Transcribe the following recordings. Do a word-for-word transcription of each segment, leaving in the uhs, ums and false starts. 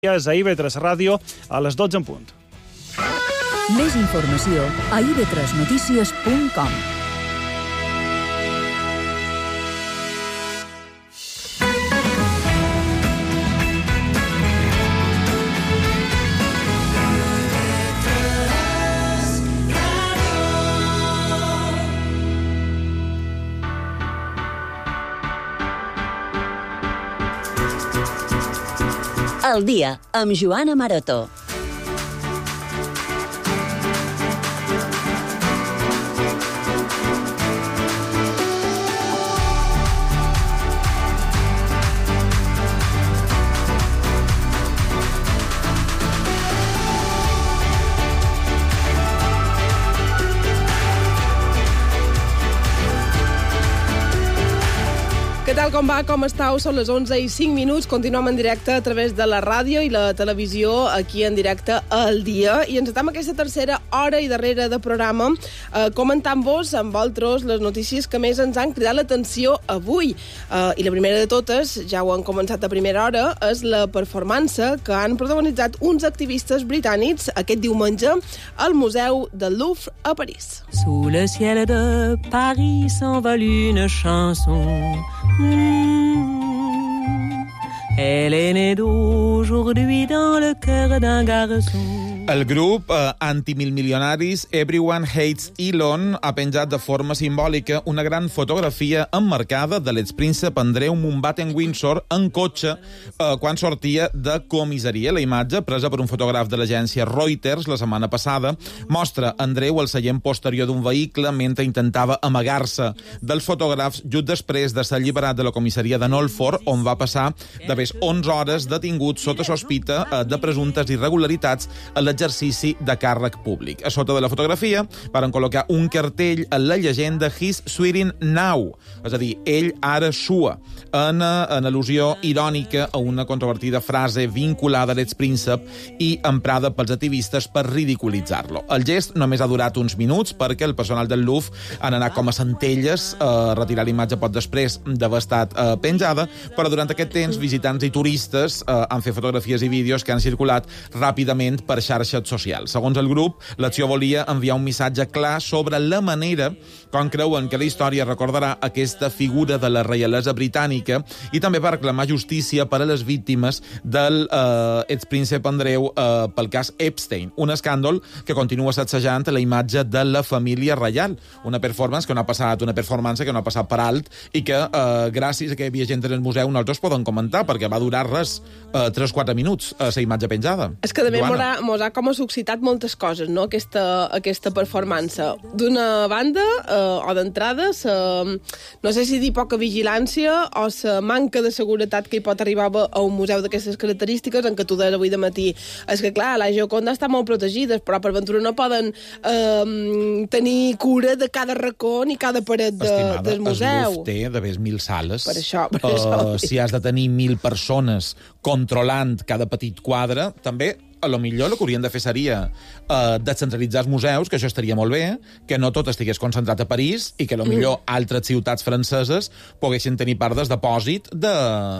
a I V tres Ràdio a les dotze en punt. Més informació a i ve tres notícies punt com. El dia, amb Joana Maroto. Què tal, com va? Com estàu? Són les onze i cinc minuts. Continuem en directe a través de la ràdio i la televisió, aquí en directe al dia. I ens estem aquesta tercera hora i darrere de programa eh, comentant-vos amb vosaltres les notícies que més ens han cridat l'atenció avui. Eh, I la primera de totes, ja ho han començat a primera hora, és la performance que han protagonitzat uns activistes britànics aquest diumenge al Museu del Louvre a París. Sous le ciel de Paris s'envole une chanson. Mmh. Elle est née d'aujourd'hui dans le cœur d'un garçon. El grup eh, antimilmilionaris Everyone Hates Elon ha penjat de forma simbòlica una gran fotografia emmarcada de l'expríncep Andreu Mountbatten-Windsor en cotxe eh, quan sortia de comissaria. La imatge, presa per un fotògraf de l'agència Reuters la setmana passada, mostra Andreu al seient posterior d'un vehicle mentre intentava amagar-se dels fotògrafs just després de ser alliberat de la comissaria de Knowlford, on va passar d'haver onze hores detingut sota sospita eh, de presumptes irregularitats a l'exercici de càrrec públic. A sota de la fotografia varen col·locar un cartell amb la llegenda He's swearing now, és a dir, ell ara sua, en, en al·lusió irònica a una controvertida frase vinculada a l'expríncep i emprada pels activistes per ridiculitzar-lo. El gest només ha durat uns minuts perquè el personal del Louvre han anat com a centelles a retirar l'imatge poc després d'haver estat eh, penjada, però durant aquest temps visitants i turistes eh, han fet fotografies i vídeos que han circulat ràpidament per xarxes socials. Segons el grup, l'acció volia enviar un missatge clar sobre la manera com creuen que la història recordarà aquesta figura de la reialesa britànica i també per reclamar justícia per a les víctimes del eh, expríncep Andreu eh, pel cas Epstein, un escàndol que continua sacsejant la imatge de la família reial. Una performance que no ha passat, una performance que no ha passat per alt i que eh, gràcies a que hi havia gent en el museu nosaltres poden comentar, perquè va durar res, eh, tres quatre minuts, a la imatge penjada. És que també mos ha, mos ha com ha suscitat moltes coses, no?, aquesta, aquesta performance. D'una banda, eh, o d'entrada, no sé si dir poca vigilància o la manca de seguretat que hi pot arribar a un museu d'aquestes característiques, en què tu deies avui de matí. És que, clar, la Gioconda està molt protegida, però per ventura no poden eh, tenir cura de cada racó ni cada paret de, Estimada, del museu. el Louvre té d'haver mil sales. Per això, per uh, això. Si has de tenir mil persones controlant cada petit quadre, també a lo millor el que haurien de fer seria uh, descentralitzar els museus, que això estaria molt bé, que no tot estigués concentrat a París i que a lo millor mm. altres ciutats franceses poguessin tenir part del depòsit de,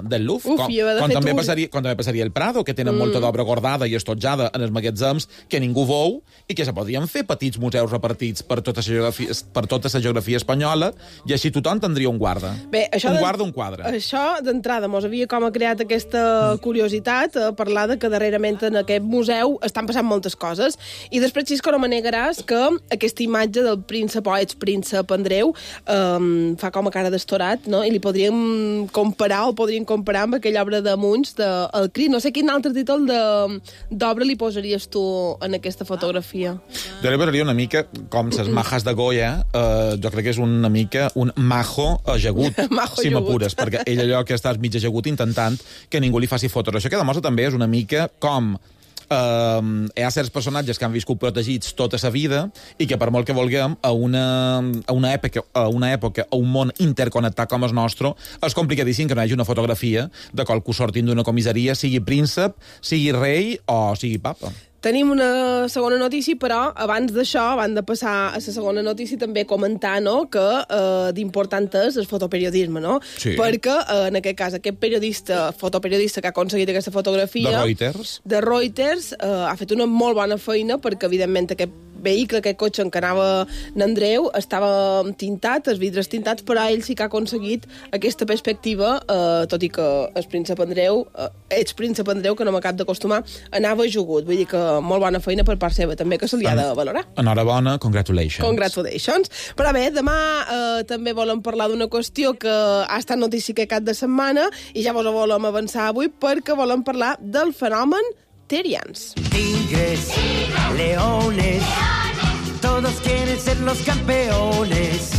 del Louvre. Uf, com, de com, també un... passaria, com també passaria el Prado, que tenen mm. molta d'obra guardada i estotjada en els magatzems que ningú veu i que se podrien fer petits museus repartits per tota la geografia, per tota la geografia espanyola i així tothom tindria un guarda. Bé, això un de... guarda, un quadre. Això, d'entrada, mos havia com ha creat aquesta mm. curiositat, a parlar de que darrerament en aquest museu estan passant moltes coses. I després, Xisco, no me negaràs que aquesta imatge del príncep o expríncep Andreu um, fa com a cara d'estorat, no? I li podríem comparar, o podríem comparar amb aquella obra de Munch, de El Crit. No sé quin altre títol d'obra li posaries tu en aquesta fotografia. Jo li posaria una mica com ses majas de Goya, eh, jo crec que és una mica un majo ajagut, majo si ajagut. m'apures, perquè ell allò que estàs mig ajagut intentant que ningú li faci fotos. Això que demostra també és una mica com Uh, hi ha certs personatges que han viscut protegits tota sa vida i que per molt que vulguem a una, a una, època, a una època a un món interconnectat com el nostre és complicadíssim que no hi hagi una fotografia de qualcú sortint d'una comissaria, sigui príncep, sigui rei o sigui papa. Tenim una segona notícia, però abans d'això, abans de passar a la segona notícia, també comentar, no?, que eh, d'important és el fotoperiodisme, no? Sí. Perquè, eh, en aquest cas, aquest periodista, fotoperiodista que ha aconseguit aquesta fotografia... De Reuters. De Reuters, eh, ha fet una molt bona feina perquè, evidentment, aquest vehicle, aquest cotxe en què anava n'Andreu, estava tintat, els vidres tintats, però ell sí que ha aconseguit aquesta perspectiva, eh, tot i que el príncep Andreu, eh, ets príncep Andreu, que no m'acab d'acostumar, anava jugut. Vull dir que molt bona feina per part seva, també, que se li ha de valorar. Enhorabona, congratulations. Congratulations. Però bé, demà eh, també volem parlar d'una qüestió que ha estat notícia aquest cap de setmana i ja vos ho volem avançar avui perquè volem parlar del fenomen Terians. Tigres, leones, todos quieren ser los campeones.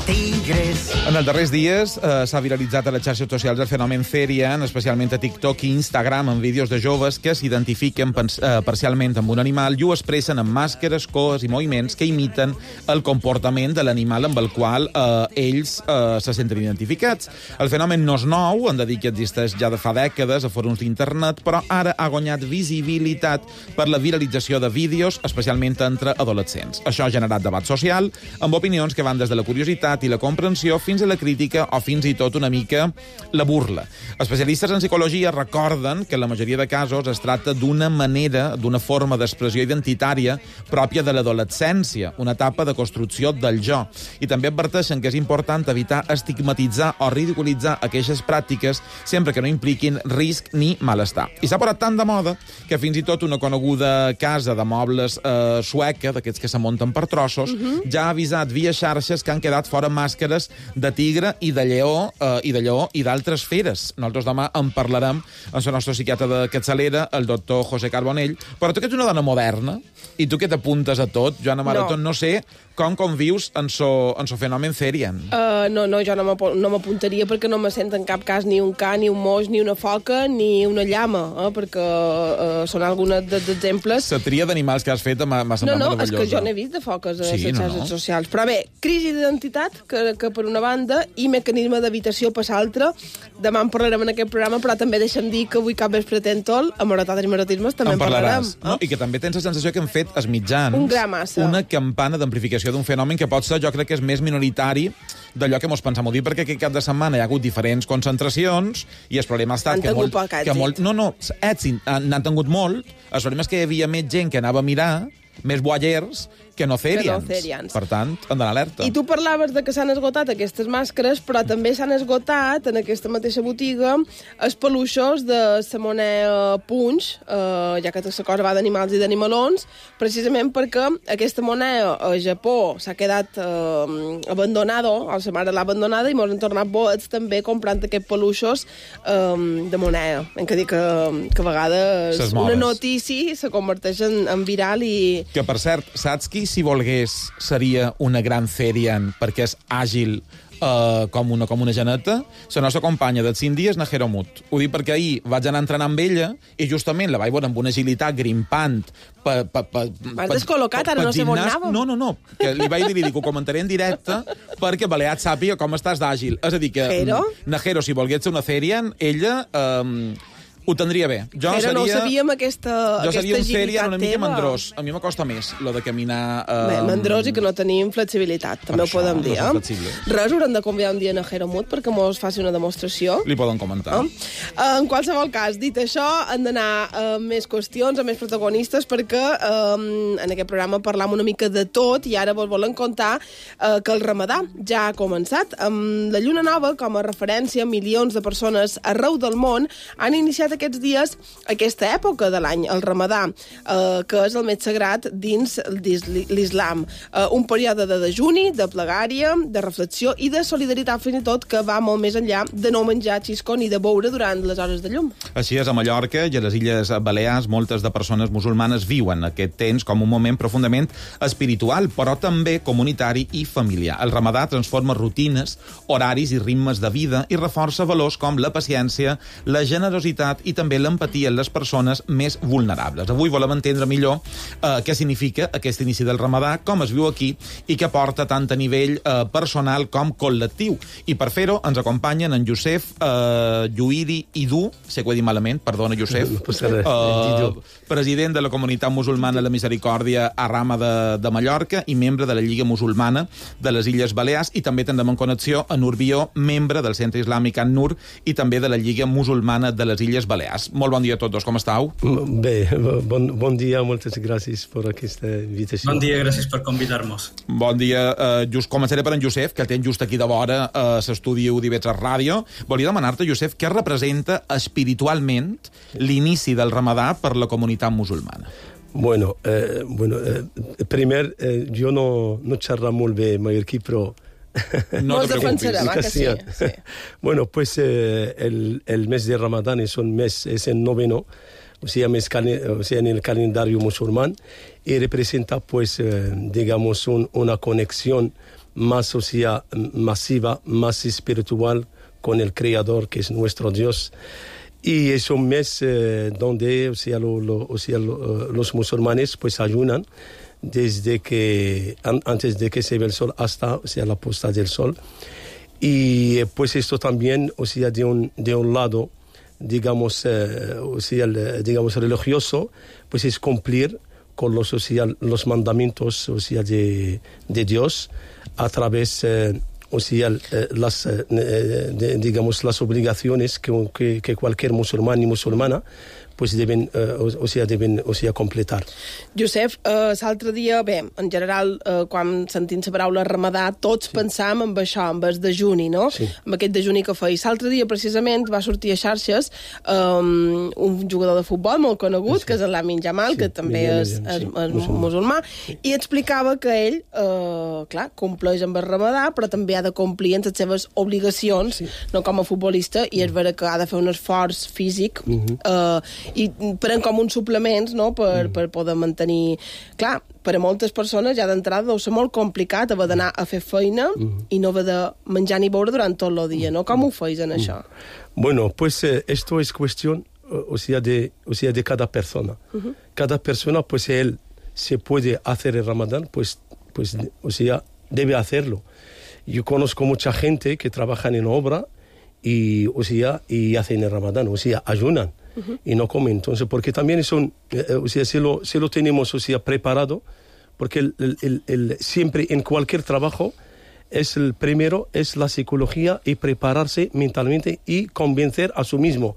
Tigres. En els darrers dies eh, s'ha viralitzat a les xarxes socials el fenomen Therian, especialment a TikTok i Instagram, amb vídeos de joves que s'identifiquen eh, parcialment amb un animal i ho expressen amb màscares, cos i moviments que imiten el comportament de l'animal amb el qual eh, ells eh, se senten identificats. El fenomen no és nou, hem de dir que existeix ja de fa dècades a fòrums d'internet, però ara ha guanyat visibilitat per la viralització de vídeos, especialment entre adolescents. Això ha generat debat social, amb opinions que van des de la curiositat i la comprensió fins a la crítica o fins i tot una mica la burla. Especialistes en psicologia recorden que en la majoria de casos es tracta d'una manera, d'una forma d'expressió identitària pròpia de l'adolescència, una etapa de construcció del jo. I també adverteixen que és important evitar estigmatitzar o ridiculitzar aquestes pràctiques sempre que no impliquin risc ni malestar. I s'ha posat tan de moda que fins i tot una coneguda casa de mobles eh, sueca, d'aquests que se munten per trossos, uh-huh. ja ha avisat via xarxes que han quedat fora màscares de tigre i de lleó eh, i de lleó i d'altres feres. Nosaltres demà en parlarem amb el nostre psiquiatre de capçalera, el doctor José Carbonell. Però tu que ets una dona moderna i tu que t'apuntes a tot, Joana Maroto, no, no sé com convius en so, en so fenomen Therian. Uh, no, no, jo no m'apuntaria perquè no me sent en cap cas ni un ca, ni un moix, ni una foca, ni una llama, eh? perquè uh, són alguns dels exemples. La tria d'animals que has fet m'ha semblat no, no, meravellosa. No, no, és que jo n'he vist de foques a sí, les xarxes no, no. socials. Però bé, crisi d'identitat, que, que per una banda, i mecanisme d'habitació per l'altra. Demà en parlarem en aquest programa, però també deixem dir que avui cap vespre tentol, a Marotades i Marotismes, també en, en parlarem. Eh? No, i que també tens la sensació que hem fet els mitjans un gra massa. Una campana d'amplificació d'un fenomen que pot ser, jo crec que és més minoritari d'allò que mos pensam. Ho dic perquè aquest cap de setmana hi ha hagut diferents concentracions i el problema ha estat han que molt... poc que molt no, no, èxit, n'han tingut molt. El problema és que hi havia més gent que anava a mirar, més voyeurs, que no Therians. No Therians. Per tant, han d'anar alerta. I tu parlaves de que s'han esgotat aquestes màscares, però també s'han esgotat en aquesta mateixa botiga els peluixos de la moneda Punch, eh, ja que tota la cosa va d'animals i d'animalons, precisament perquè aquesta moneda a Japó s'ha quedat eh, abandonada, o la mare l'ha abandonada, i mos han tornat boets també comprant aquests peluixos eh, de moneda. Hem de dir que, que a vegades una notícia se converteix en, en viral i... Que, per cert, saps qui si volgués seria una gran Therian perquè és àgil uh, com, una, com una geneta? La nostra companya dels cinc dies, Najero Mut. Ho dic perquè ahir vaig anar a entrenar amb ella i justament la vaig veure amb una agilitat grimpant. Pa, pa, pa, M'has descol·locat, ara no sé on anàvem. No, no, no, que li vaig dir, li dic, ho comentaré en directe perquè Baleat sàpiga com estàs d'àgil. És a dir, que Jero? Najero, si volgués ser una Therian, ella... Um, ho tindria bé. Jo Però seria, no sabíem aquesta, jo aquesta seria un Therian una mica teva. mandrós. A mi m'acosta més, lo de caminar... Um... Bé, mandrós i que no tenim flexibilitat, també ho podem dir. No eh? Res, haurem de convidar un dia a Najero Mut perquè mos faci una demostració. Li poden comentar. Eh? En qualsevol cas, dit això, han d'anar a més qüestions, a més protagonistes, perquè um, en aquest programa parlam una mica de tot i ara vos volen contar uh, que el Ramadà ja ha començat. Amb la Lluna Nova, com a referència, milions de persones arreu del món han iniciat aquests dies aquesta època de l'any, el Ramadà, eh, que és el més sagrat dins l'islam. Eh, un període de dejuni, de plegària, de reflexió i de solidaritat, fins i tot, que va molt més enllà de no menjar xisco ni de beure durant les hores de llum. Així és, a Mallorca i a les Illes Balears, moltes de persones musulmanes viuen aquest temps com un moment profundament espiritual, però també comunitari i familiar. El Ramadà transforma rutines, horaris i ritmes de vida i reforça valors com la paciència, la generositat i també l'empatia en les persones més vulnerables. Avui volem entendre millor eh, què significa aquest inici del Ramadà, com es viu aquí i què porta tant a nivell eh, personal com col·lectiu. I per fer-ho ens acompanyen en Youssef eh, Lluïdi Idú, sé que ho he dit malament, perdona, Youssef, eh, president de la Comunitat Musulmana de la Misericòrdia a Rama de, de Mallorca i membre de la Lliga Musulmana de les Illes Balears, i també tindrem en connexió a Nur Bió, membre del Centre Islàmic An-Nur i també de la Lliga Musulmana de les Illes Balears. Molt bon dia a tots dos, com estàu? Bé, bon, bon dia, moltes gràcies per aquesta invitació. Bon dia, gràcies per convidar-nos. Bon dia, uh, just començaré per en Youssef, que el tens just aquí de vora a uh, l'estudi U d'Ivetres Ràdio. Volia demanar-te, Youssef, què representa espiritualment l'inici del Ramadà per la comunitat musulmana? Bueno, eh, bueno eh, primer, eh, jo no, no xerro molt bé mallorquí, però... No te preocupes. Va, que sí, sí. Bueno, pues eh, el, el mes de Ramadán es un mes, es el noveno, o sea, mes, o sea, en el calendario musulmán, y representa, pues, eh, digamos, un, una conexión más, o sea, masiva, más espiritual con el Creador, que es nuestro Dios. Y es un mes eh, donde, o sea, lo, lo, o sea lo, los musulmanes, pues, ayunan desde que, an, antes de que se ve el sol hasta, o sea, la puesta del sol. Y pues esto también, o sea, de un, de un lado, digamos, eh, o sea, el, digamos, religioso, pues es cumplir con los, o sea, los mandamientos, o sea, de, de Dios a través, eh, o sea, eh, las, eh, de, digamos, las obligaciones que, que, que cualquier musulmán y musulmana pues deben, eh, o, o sea, deben o sea, completar. Josep, eh, l'altre dia, bé, en general, eh, quan sentim la paraula Ramadà, tots sí. pensam en això, en el dejuni, no? Sí. En aquest dejuni que feia. L'altre dia, precisament, va sortir a xarxes um, un jugador de futbol molt conegut, sí. que és el Lamin Jamal, sí. que també Millán, és, és, sí. és musulmà, musulmà sí. i explicava que ell, eh, clar, compleix amb el Ramadà, però també ha de complir en les seves obligacions, sí. no com a futbolista, i és vera que ha de fer un esforç físic, uh-huh. eh, i pren com uns suplements, no?, per, mm. per poder mantenir... Clar, per a moltes persones ja d'entrada deu ser molt complicat haver d'anar a fer feina mm. i no haver de menjar ni beure durant tot el dia, no? Com ho feis en mm. això? Bueno, pues eh, esto es cuestión, o sea, de, o sea, de cada persona. Uh-huh. Cada persona, pues él se puede hacer el Ramadán, pues, pues, o sea, debe hacerlo. Yo conozco mucha gente que trabajan en obra y, o sea, y hacen el Ramadán, o sea, ayunan. Uh-huh. Y no comen, entonces, porque también son, eh, o sea, si lo, si lo tenemos, o sea, preparado, porque el, el, el, el, siempre en cualquier trabajo es el primero, es la psicología y prepararse mentalmente y convencer a sí mismo,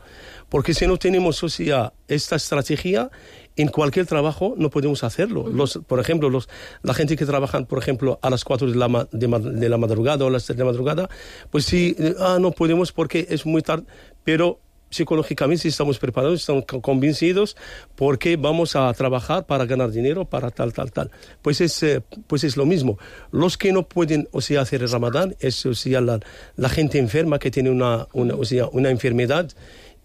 porque si no tenemos, o sea, esta estrategia, en cualquier trabajo no podemos hacerlo. Uh-huh. Los, por ejemplo, los, la gente que trabaja, por ejemplo, a las cuatro de la, de, de la madrugada o a las tres de la madrugada, pues sí, ah, no podemos porque es muy tarde, pero psicológicamente estamos preparados, estamos convencidos porque vamos a trabajar para ganar dinero, para tal, tal, tal. Pues es, eh, pues es lo mismo. Los que no pueden, o sea, hacer el Ramadán es, o sea, la, la gente enferma que tiene una, una, o sea, una enfermedad,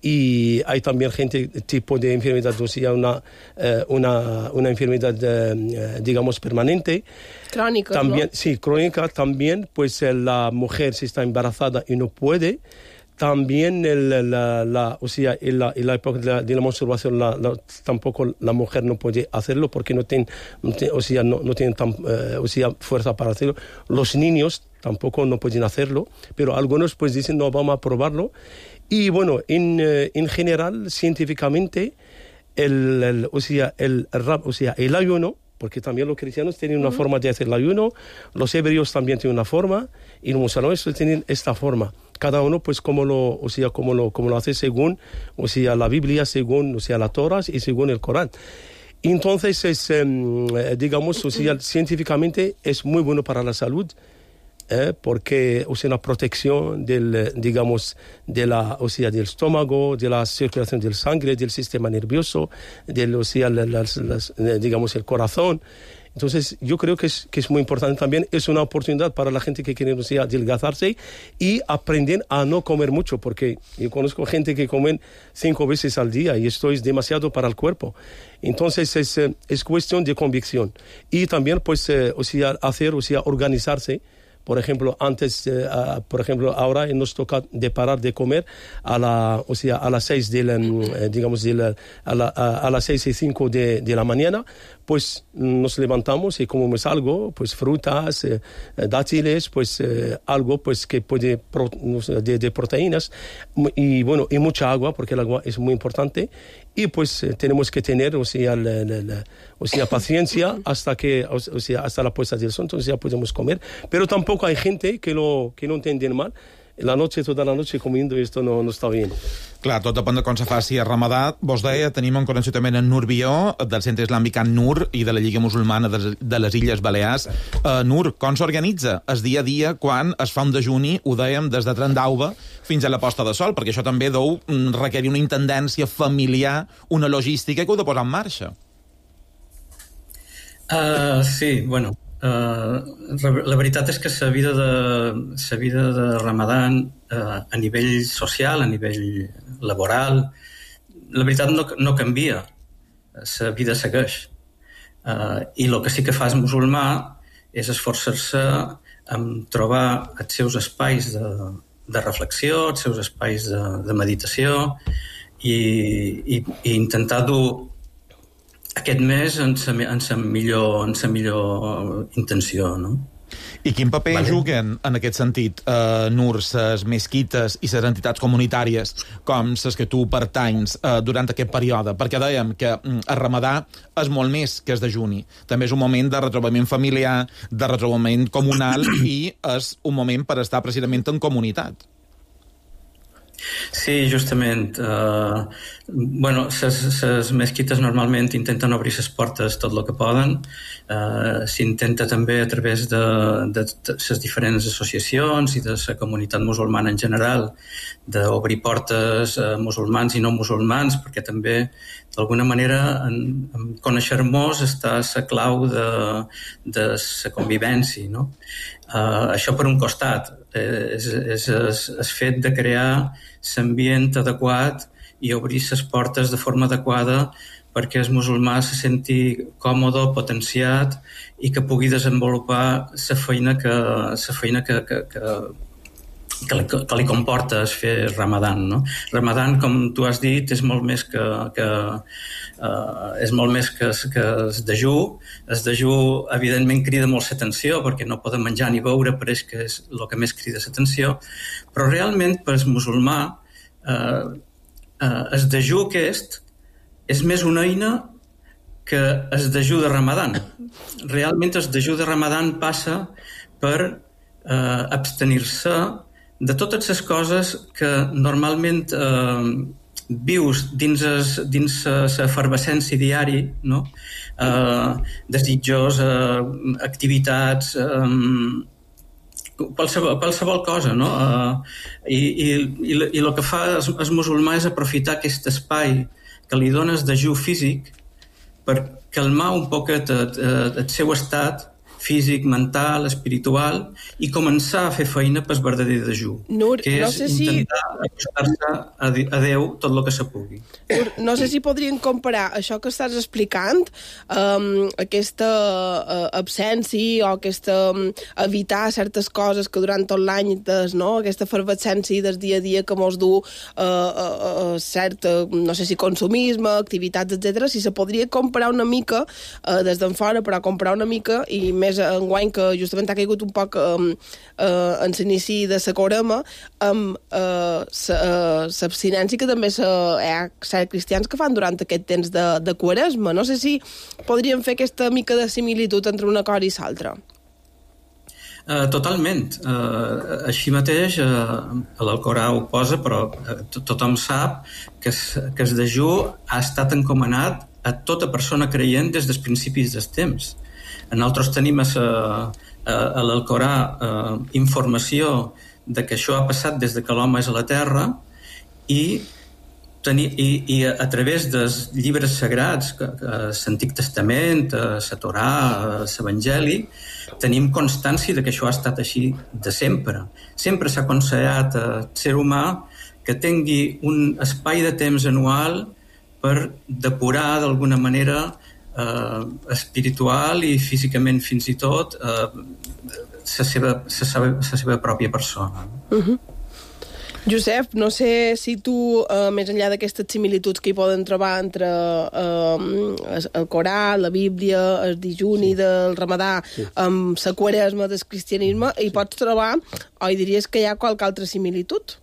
y hay también gente tipo de enfermedad, o sea, una, eh, una, una enfermedad, eh, digamos, permanente. Crónica, también, ¿no? Sí, crónica también, pues eh, la mujer si está embarazada y no puede. También el, la, la, o sea, en la, en la época de la, de la masturbación la, la, tampoco la mujer no puede hacerlo porque no tiene, no tiene, o sea, no, no tienen tan, eh, o sea, fuerza para hacerlo. Los niños tampoco no pueden hacerlo, pero algunos pues dicen no, vamos a probarlo. Y bueno, en, eh, en general, científicamente, el, el, o sea, el, o sea, el ayuno, porque también los cristianos tienen una uh-huh. forma de hacer el ayuno, los hebreos también tienen una forma, y los musulmanes tienen esta forma. Cada uno, pues, como lo, o sea, como lo, como lo hace según, o sea, la Biblia, según, o sea, la Torah y según el Corán. Entonces, es, eh, digamos, o sea, científicamente es muy bueno para la salud, eh, porque, o sea, una protección del, digamos, de la, o sea, del estómago, de la circulación del sangre, del sistema nervioso, del, o sea, las, las, digamos, el corazón. Entonces, yo creo que es, que es muy importante también. Es una oportunidad para la gente que quiere, o sea, adelgazarse y aprender a no comer mucho, porque yo conozco gente que comen cinco veces al día y esto es demasiado para el cuerpo. Entonces, es, es cuestión de convicción. Y también, pues, eh, o sea, hacer, o sea, organizarse Por ejemplo, antes, eh, uh, por ejemplo, ahora nos toca de parar de comer a la, o sea, a las seis de la, eh, digamos, de la, a, la, a, a las seis y cinco de, de la mañana, pues nos levantamos y comemos algo, pues frutas, eh, dátiles, pues eh, algo, pues que puede, pro, de, de proteínas y bueno, y mucha agua, porque el agua es muy importante. Y pues eh, tenemos que tener, o sea, la, la, la, o sea, paciencia hasta que, o, o sea, hasta la puesta del sol, entonces ya podemos comer. Pero tampoco hay gente que lo que no entienden mal. La noche, tota la noche comiendo, i esto no, no està bé. Clar, tot depèn de com se faci a Ramadà. Vos deia, tenim en connexió també en Nur Bió, del Centre Islàmic An-Nur i de la Lliga Musulmana de les Illes Balears. Uh, Nur, com s'organitza el dia a dia quan es fa un dejuni, ho dèiem, des de Trendauba fins a la posta de sol? Perquè això també deu requerir una intendència familiar, una logística que heu de posar en marxa. Uh, sí, bueno... Uh, la veritat és que la vida de, la vida de Ramadan uh, a nivell social, a nivell laboral, la veritat no, no canvia, la vida segueix. Uh, I el que sí que fa el musulmà és esforçar-se en trobar els seus espais de, de reflexió, els seus espais de, de meditació i, i, i intentar dur aquest mes en sa, en sa millor, en sa millor intenció, no? I quin paper vale. juguen, en aquest sentit, eh, Nur, ses mesquites i ses entitats comunitàries, com ses que tu pertanys, eh, durant aquest període? Perquè dèiem que mm, el Ramadà és molt més que el dejuni. També és un moment de retrobament familiar, de retrobament comunal, i és un moment per estar precisament en comunitat. Sí, justament. Uh, bueno, les mesquites normalment intenten obrir les portes tot el que poden. Uh, s'intenta també a través de les diferents associacions i de la comunitat musulmana en general d'obrir portes a musulmans i no musulmans, perquè també d'alguna manera en, en conèixer-nos està la clau de, de la convivència, no? Uh, això per un costat eh, és, és, és el fet de crear l'ambient adequat i obrir les portes de forma adequada perquè el musulmà se senti còmode, potenciat i que pugui desenvolupar la feina que, la feina que, que, que, que, li, que li comporta fer Ramadan, no? Ramadan, com tu has dit, és molt més que, que Uh, és molt més que, que el dejú. El dejú, evidentment, crida molt l'atenció perquè no poden menjar ni beure, però és que és el que més crida l'atenció. Però realment, per al musulmà, uh, uh, el dejú aquest és més una eina que el dejú de Ramadan. Realment, el dejú de Ramadan passa per uh, abstenir-se de totes les coses que normalment uh, vius dins dins l'efervescència diari, no? Uh, desitjos, uh, activitats, um, qualsevol, qualsevol cosa, no? Uh, i, i, i, i el que fa el musulmà és aprofitar aquest espai que li dona el dejú físic per calmar un poquet el, el seu estat físic, mental, espiritual, i començar a fer feina pel verdader dejú, Nur, que és no sé si... intentar acostar-se a, a Déu tot el que se pugui. Nur, no sé si podrien comparar això que estàs explicant, um, aquesta uh, absència o aquesta um, evitar certes coses que durant tot l'any des, no? Aquesta efervescència del dia a dia que mos du uh, uh, uh, cert, uh, no sé si consumisme, activitats, etcètera, si se podria comparar una mica uh, des d'en fora, però comparar una mica i més enguany que justament ha caigut un poc um, uh, en l'inici de la Corema amb l'abstinència uh, que també hi ha certs cristians que fan durant aquest temps de, de Quaresma. No sé si podríem fer aquesta mica de similitud entre una cosa i l'altra. Uh, totalment. Uh, així mateix, uh, l'Alcorà ho posa, però uh, tothom sap que, que el dejú ha estat encomanat a tota persona creient des dels principis dels temps. Nosaltres tenim a, a, a l'Alcorà uh, informació de que això ha passat des de que l'home és a la Terra i, teni, i, i a, a través dels llibres sagrats, l'Antic Testament, la Torà, l'Evangeli, tenim constància de que això ha estat així de sempre. Sempre s'ha aconsellat al ser humà que tingui un espai de temps anual per depurar d'alguna manera eh, espiritual i físicament fins i tot eh, la seva, la seva, la seva pròpia persona. Uh-huh. Josep, no sé si tu, eh, més enllà d'aquestes similituds que hi poden trobar entre eh, el Corà, la Bíblia, el dijuni sí. del Ramadà, sí. amb la quaresma del cristianisme, sí. hi pots trobar, o hi diries que hi ha qualque altra similitud?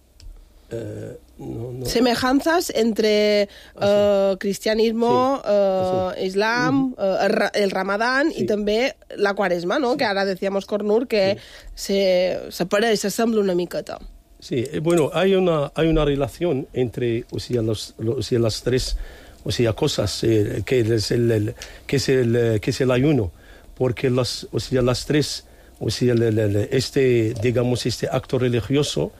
Eh, no, no. Semejanzas entre eh, cristianismo, sí. eh, islam, uh-huh. eh, el, el Ramadán sí. i també la quaresma, ¿no? Sí. Que ara decíamos Cornur que sí. se, se pareix, s'assembla una miqueta. Sí, bueno, hay una, hay una relación entre, o sea, los, los, o sea, las tres, o sea, cosas eh, que, es el, el, que, es el, que es el ayuno, porque las, o sea, las tres, o sea, el, el, este, digamos, este acto religioso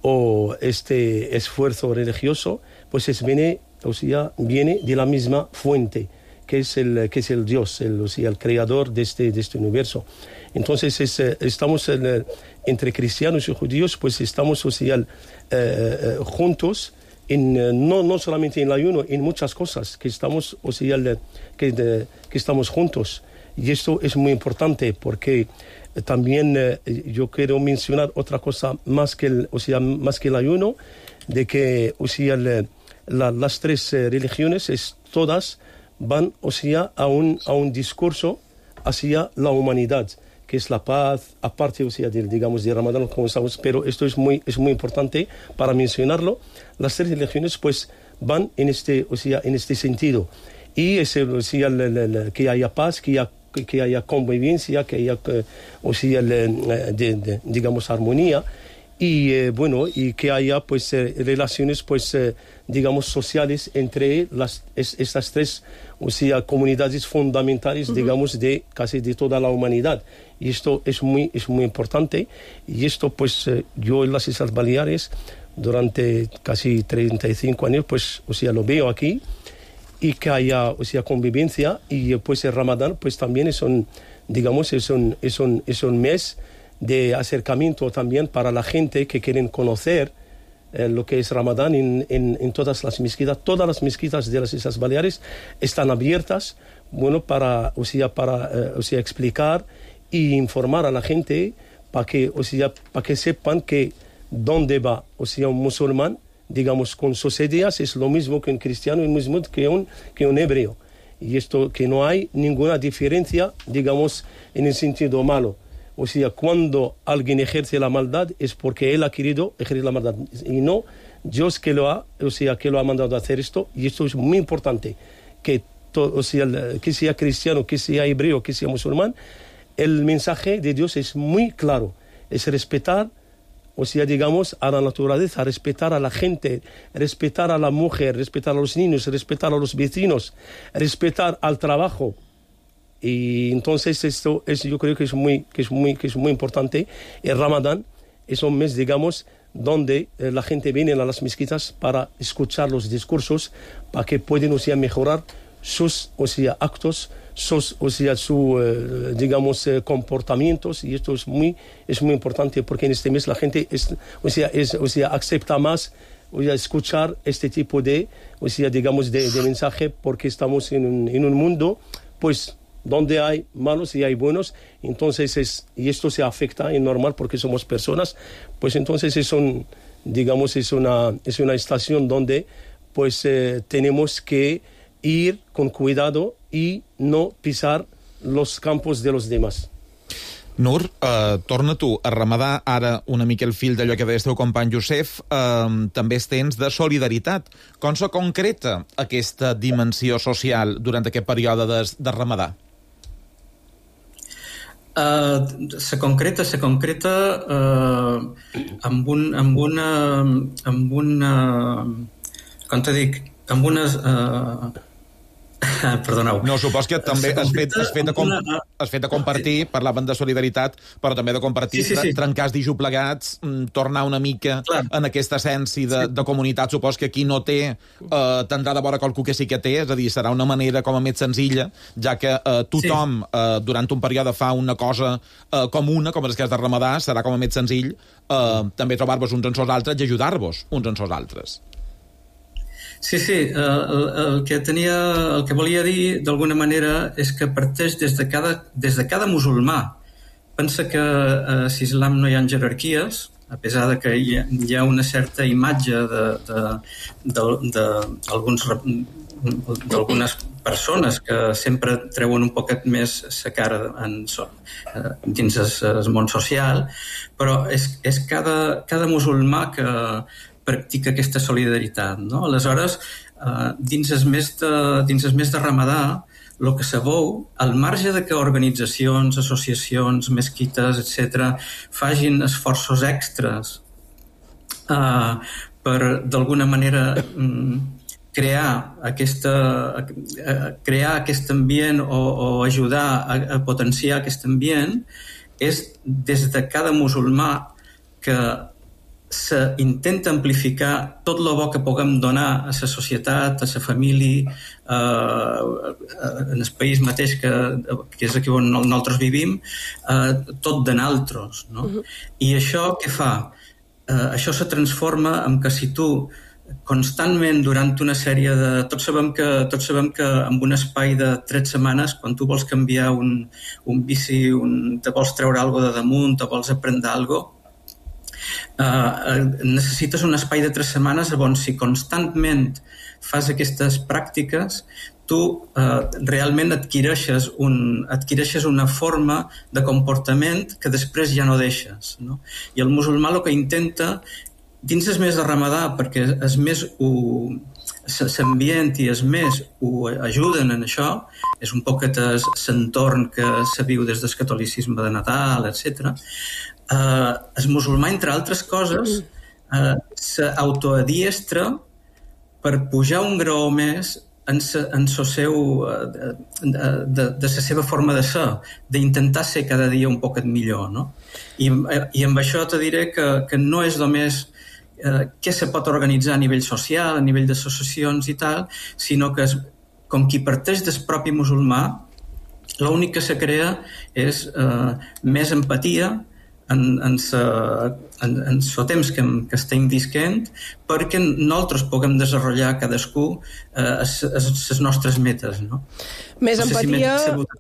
o este esfuerzo religioso, pues es, viene, o sea, viene de la misma fuente, que es el, que es el Dios, el, o sea, el creador de este, de este universo. Entonces es, estamos en, entre cristianos y judíos, pues estamos o sea, eh, juntos, en, no, no solamente en el ayuno, en muchas cosas, que estamos, o sea, que, de, que estamos juntos. Y esto es muy importante porque también eh, yo quiero mencionar otra cosa más que el, o sea, más que el ayuno, de que o sea, le, la, las tres eh, religiones es, todas van o sea, a, un, a un discurso hacia la humanidad, que es la paz, aparte o sea, de, digamos, de Ramadán, como sabemos, pero esto es muy, es muy importante para mencionarlo. Las tres religiones pues van en este, o sea, en este sentido. Y es, o sea, la, la, la, que haya paz, que haya, que haya convivencia, que haya o sea, la, de, de, digamos, armonía. Y eh, bueno, y que haya pues eh, relaciones pues eh, digamos sociales entre las es, estas tres o sea comunidades fundamentales uh-huh. digamos de casi de toda la humanidad, y esto es muy es muy importante. Y esto pues eh, yo en las Islas Baleares durante casi treinta y cinco años pues o sea lo veo aquí, y que haya o sea convivencia. Y pues el Ramadán pues también es un digamos es un es un es un mes de acercamiento también para la gente que quieren conocer eh, lo que es Ramadán en, en, en todas las mezquitas. Todas las mezquitas de las Islas Baleares están abiertas, bueno, para, o sea, para eh, o sea, explicar y informar a la gente para que, o sea, para que sepan que dónde va, o sea, un musulmán, digamos, con sus ideas es lo mismo que un cristiano y lo mismo que un, que un hebreo. Y esto, que no hay ninguna diferencia, digamos, en el sentido malo. O sea, cuando alguien ejerce la maldad es porque él ha querido ejercer la maldad y no Dios que lo ha, o sea, que lo ha mandado a hacer esto. Y esto es muy importante, que, to, o sea, que sea cristiano, que sea hebreo, que sea musulmán, el mensaje de Dios es muy claro, es respetar, o sea, digamos, a la naturaleza, respetar a la gente, respetar a la mujer, respetar a los niños, respetar a los vecinos, respetar al trabajo. Y entonces esto es, yo creo que es muy que es muy que es muy importante. El Ramadán es un mes, digamos, donde eh, la gente viene a las mezquitas para escuchar los discursos, para que puedan, o sea, mejorar sus, o sea, actos, sus, o sea, su, eh, digamos, eh, comportamientos. Y esto es muy es muy importante porque en este mes la gente es, o sea, es, o sea, acepta más, o sea, escuchar este tipo de, o sea, digamos, de, de mensaje, porque estamos en un, en un mundo, pues, donde hay malos y hay buenos. Entonces es, y esto se afecta, es normal porque somos personas, pues entonces es un, digamos, es una, es una estación donde pues eh, tenemos que ir con cuidado y no pisar los campos de los demás. Nur, eh, torna tu a remadar ara una mica el fil d'allò que deies teu company Josep, eh, també es tens de solidaritat. Com se concreta aquesta dimensió social durant aquest període de, de remadar? Uh, se concreta, se concreta uh, amb, un, amb una... amb una... com te dic? Amb unes... Uh, perdoneu. No, supos que també has fet, has, fet de com, has fet de compartir, parlaven de solidaritat, però també de compartir, sí, sí, sí. trencar els dijos plegats, tornar una mica Clar. en aquesta essència de, sí. de comunitat. Supos que qui no té eh, tindrà de vora qualcú que sí que té, és a dir, serà una manera com a més senzilla, ja que eh, tothom sí. eh, durant un període fa una cosa eh, comuna, com és el cas de Ramadà, serà com a més senzill eh, també trobar-vos uns en sos altres i ajudar-vos uns en sos altres. Sí, sí, el, el, que tenia, el que volia dir d'alguna manera és que parteix des de cada, des de cada musulmà. Pensa que a l'islam no hi ha jerarquies, a pesar de que hi ha, hi ha una certa imatge d'alguns d'algunes persones que sempre treuen un poquet més la cara en, dins el món social, però és, és cada, cada musulmà que practica aquesta solidaritat, no? Aleshores, dins el mes de, dins el mes de Ramadà, el que se veu, al marge de que organitzacions, associacions, mesquites, etcètera, facin esforços extras uh, per, d'alguna manera, um, crear, aquesta, uh, crear aquest ambient o, o ajudar a, a potenciar aquest ambient, és des de cada musulmà que s'intenta amplificar tot el bo que puguem donar a la societat, a la família, eh, en el país mateix que, que és aquí on nosaltres vivim, eh, tot de naltros, no? Uh-huh. I això què fa? Eh, això se transforma en que si tu constantment durant una sèrie de... Tots sabem que, tots sabem que en un espai de tres setmanes, quan tu vols canviar un, un bici, un, te vols treure alguna de damunt, te vols aprendre alguna cosa, Uh, necessites un espai de tres setmanes on si constantment fas aquestes pràctiques tu uh, realment adquireixes, un, adquireixes una forma de comportament que després ja no deixes, no? I el musulmà el que intenta dins el mes de Ramadà, perquè és més ho, l'ambient i els més ho ajuden en això, és un poquet l'entorn que se viu des del catolicisme de Nadal, etcètera. Uh, el musulmà, entre altres coses, uh, s'autoadiestra per pujar un graó més en, sa, en so seu, uh, de, de, de la seva forma de ser, d'intentar ser cada dia un poquet millor, no? I, i amb això te diré que, que no és només uh, què se pot organitzar a nivell social, a nivell d'associacions i tal, sinó que és, com qui parteix del propi musulmà, l'únic que se crea és uh, més empatia en, en, sa, en, en so temps que, que estem visquent perquè nosaltres puguem desenvolupar cadascú les eh, nostres metes, no? Més no sé empatia,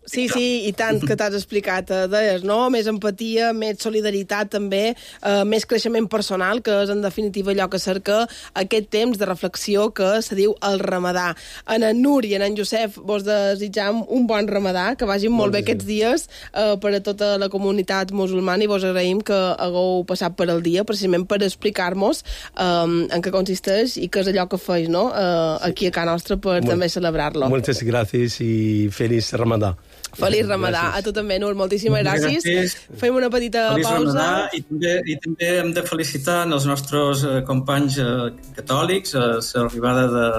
si sí, sí, i tant que t'has explicat, eh, deies, no? Més empatia, més solidaritat també, eh, més creixement personal, que és en definitiva allò que cerca aquest temps de reflexió que se diu el Ramadà. En en Nur i en en Josep vos desitjam un bon Ramadà, que vagin molt, molt bé aquests dies eh, per a tota la comunitat musulmana, i vos agraïm que hagueu passat per el dia, precisament per explicar-nos eh, en què consisteix i què és allò que feis, no? Eh, aquí a casa nostra per Molt, també celebrar-lo. Moltes gràcies i feliç Ramadà. Feliç Ramadà. Gràcies. A tu també, Nur. Moltíssimes gràcies. gràcies. Fem una petita feliç pausa. Ramadà, i, també, I també hem de felicitar els nostres eh, companys eh, catòlics a l'arribada de,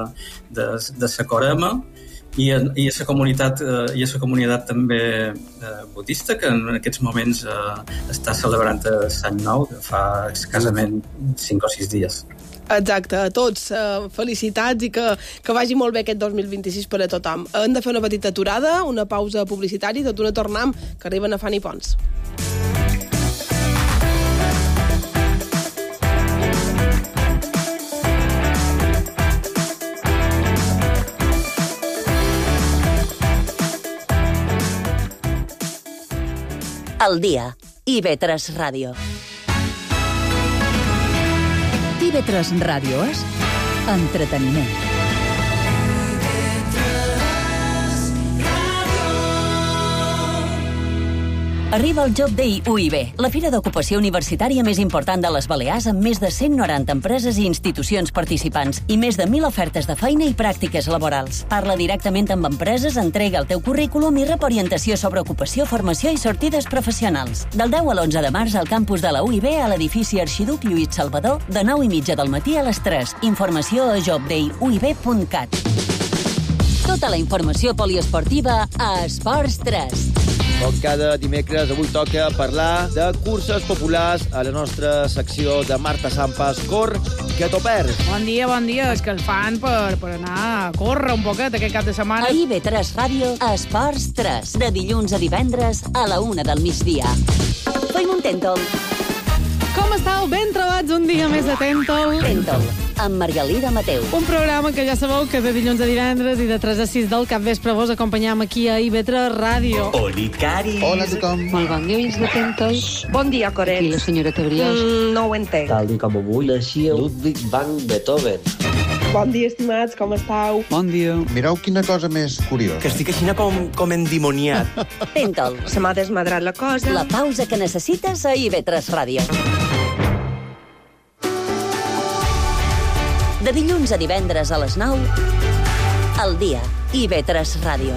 de, de la Corema i a, i a la comunitat eh, i a la comunitat també eh, budista, que en aquests moments eh, està celebrant l'any nou, que fa escassament cinc o sis dies. Exacte, a tots eh, felicitats i que, que vagi molt bé aquest dos mil vint-i-sis per a tothom. Hem de fer una petita aturada, una pausa publicitària, tot una tornam, que arriben a Fanny Pons. El dia, i ve tres Ràdio. i ve tres Ràdio és entreteniment. Arriba el Job Day U I B, la fira d'ocupació universitària més important de les Balears, amb més de cent noranta empreses i institucions participants i més de mil ofertes de feina i pràctiques laborals. Parla directament amb empreses, entrega el teu currículum i rep orientació sobre ocupació, formació i sortides professionals. Del deu a l'onze de març al campus de la U I B a l'edifici Arxiduc Lluís Salvador, de nou i mitja del matí a les tres. Informació a job day u i b punt cat. Tota la informació poliesportiva a Esports tres. Com cada dimecres, avui toca parlar de curses populars a la nostra secció de Marta Sampas. Cor, que t'ho perds. Bon dia, bon dia. És que el fan per, per anar a córrer un poquet aquest cap de setmana. A I V tres Ràdio, a Esports tres, de dilluns a divendres a la una del migdia. Fem un tèntol. Com estàu? Ben trobats un dia més de tèntol. Tèntol. amb Margalida Mateu. Un programa que ja sabeu que de dilluns a divendres i de tres a sis del capvespre vos acompanyam aquí a I V tres Ràdio. Oli, Cari. Hola a tothom. Molt bon dia, ulls atentos. Bon dia, Coret. Aquí la senyora Tebriós. Mm, no ho entenc. Tal dia com avui naixia Ludwig van Beethoven. Bon dia, estimats, com estàu? Bon dia. Mireu quina cosa més curiosa. Que estic així com, com endimoniat. Tenta'l. Se m'ha desmadrat la cosa. La pausa que necessites a I V tres Ràdio. De dilluns a divendres a les nou, al dia, I V tres Ràdio.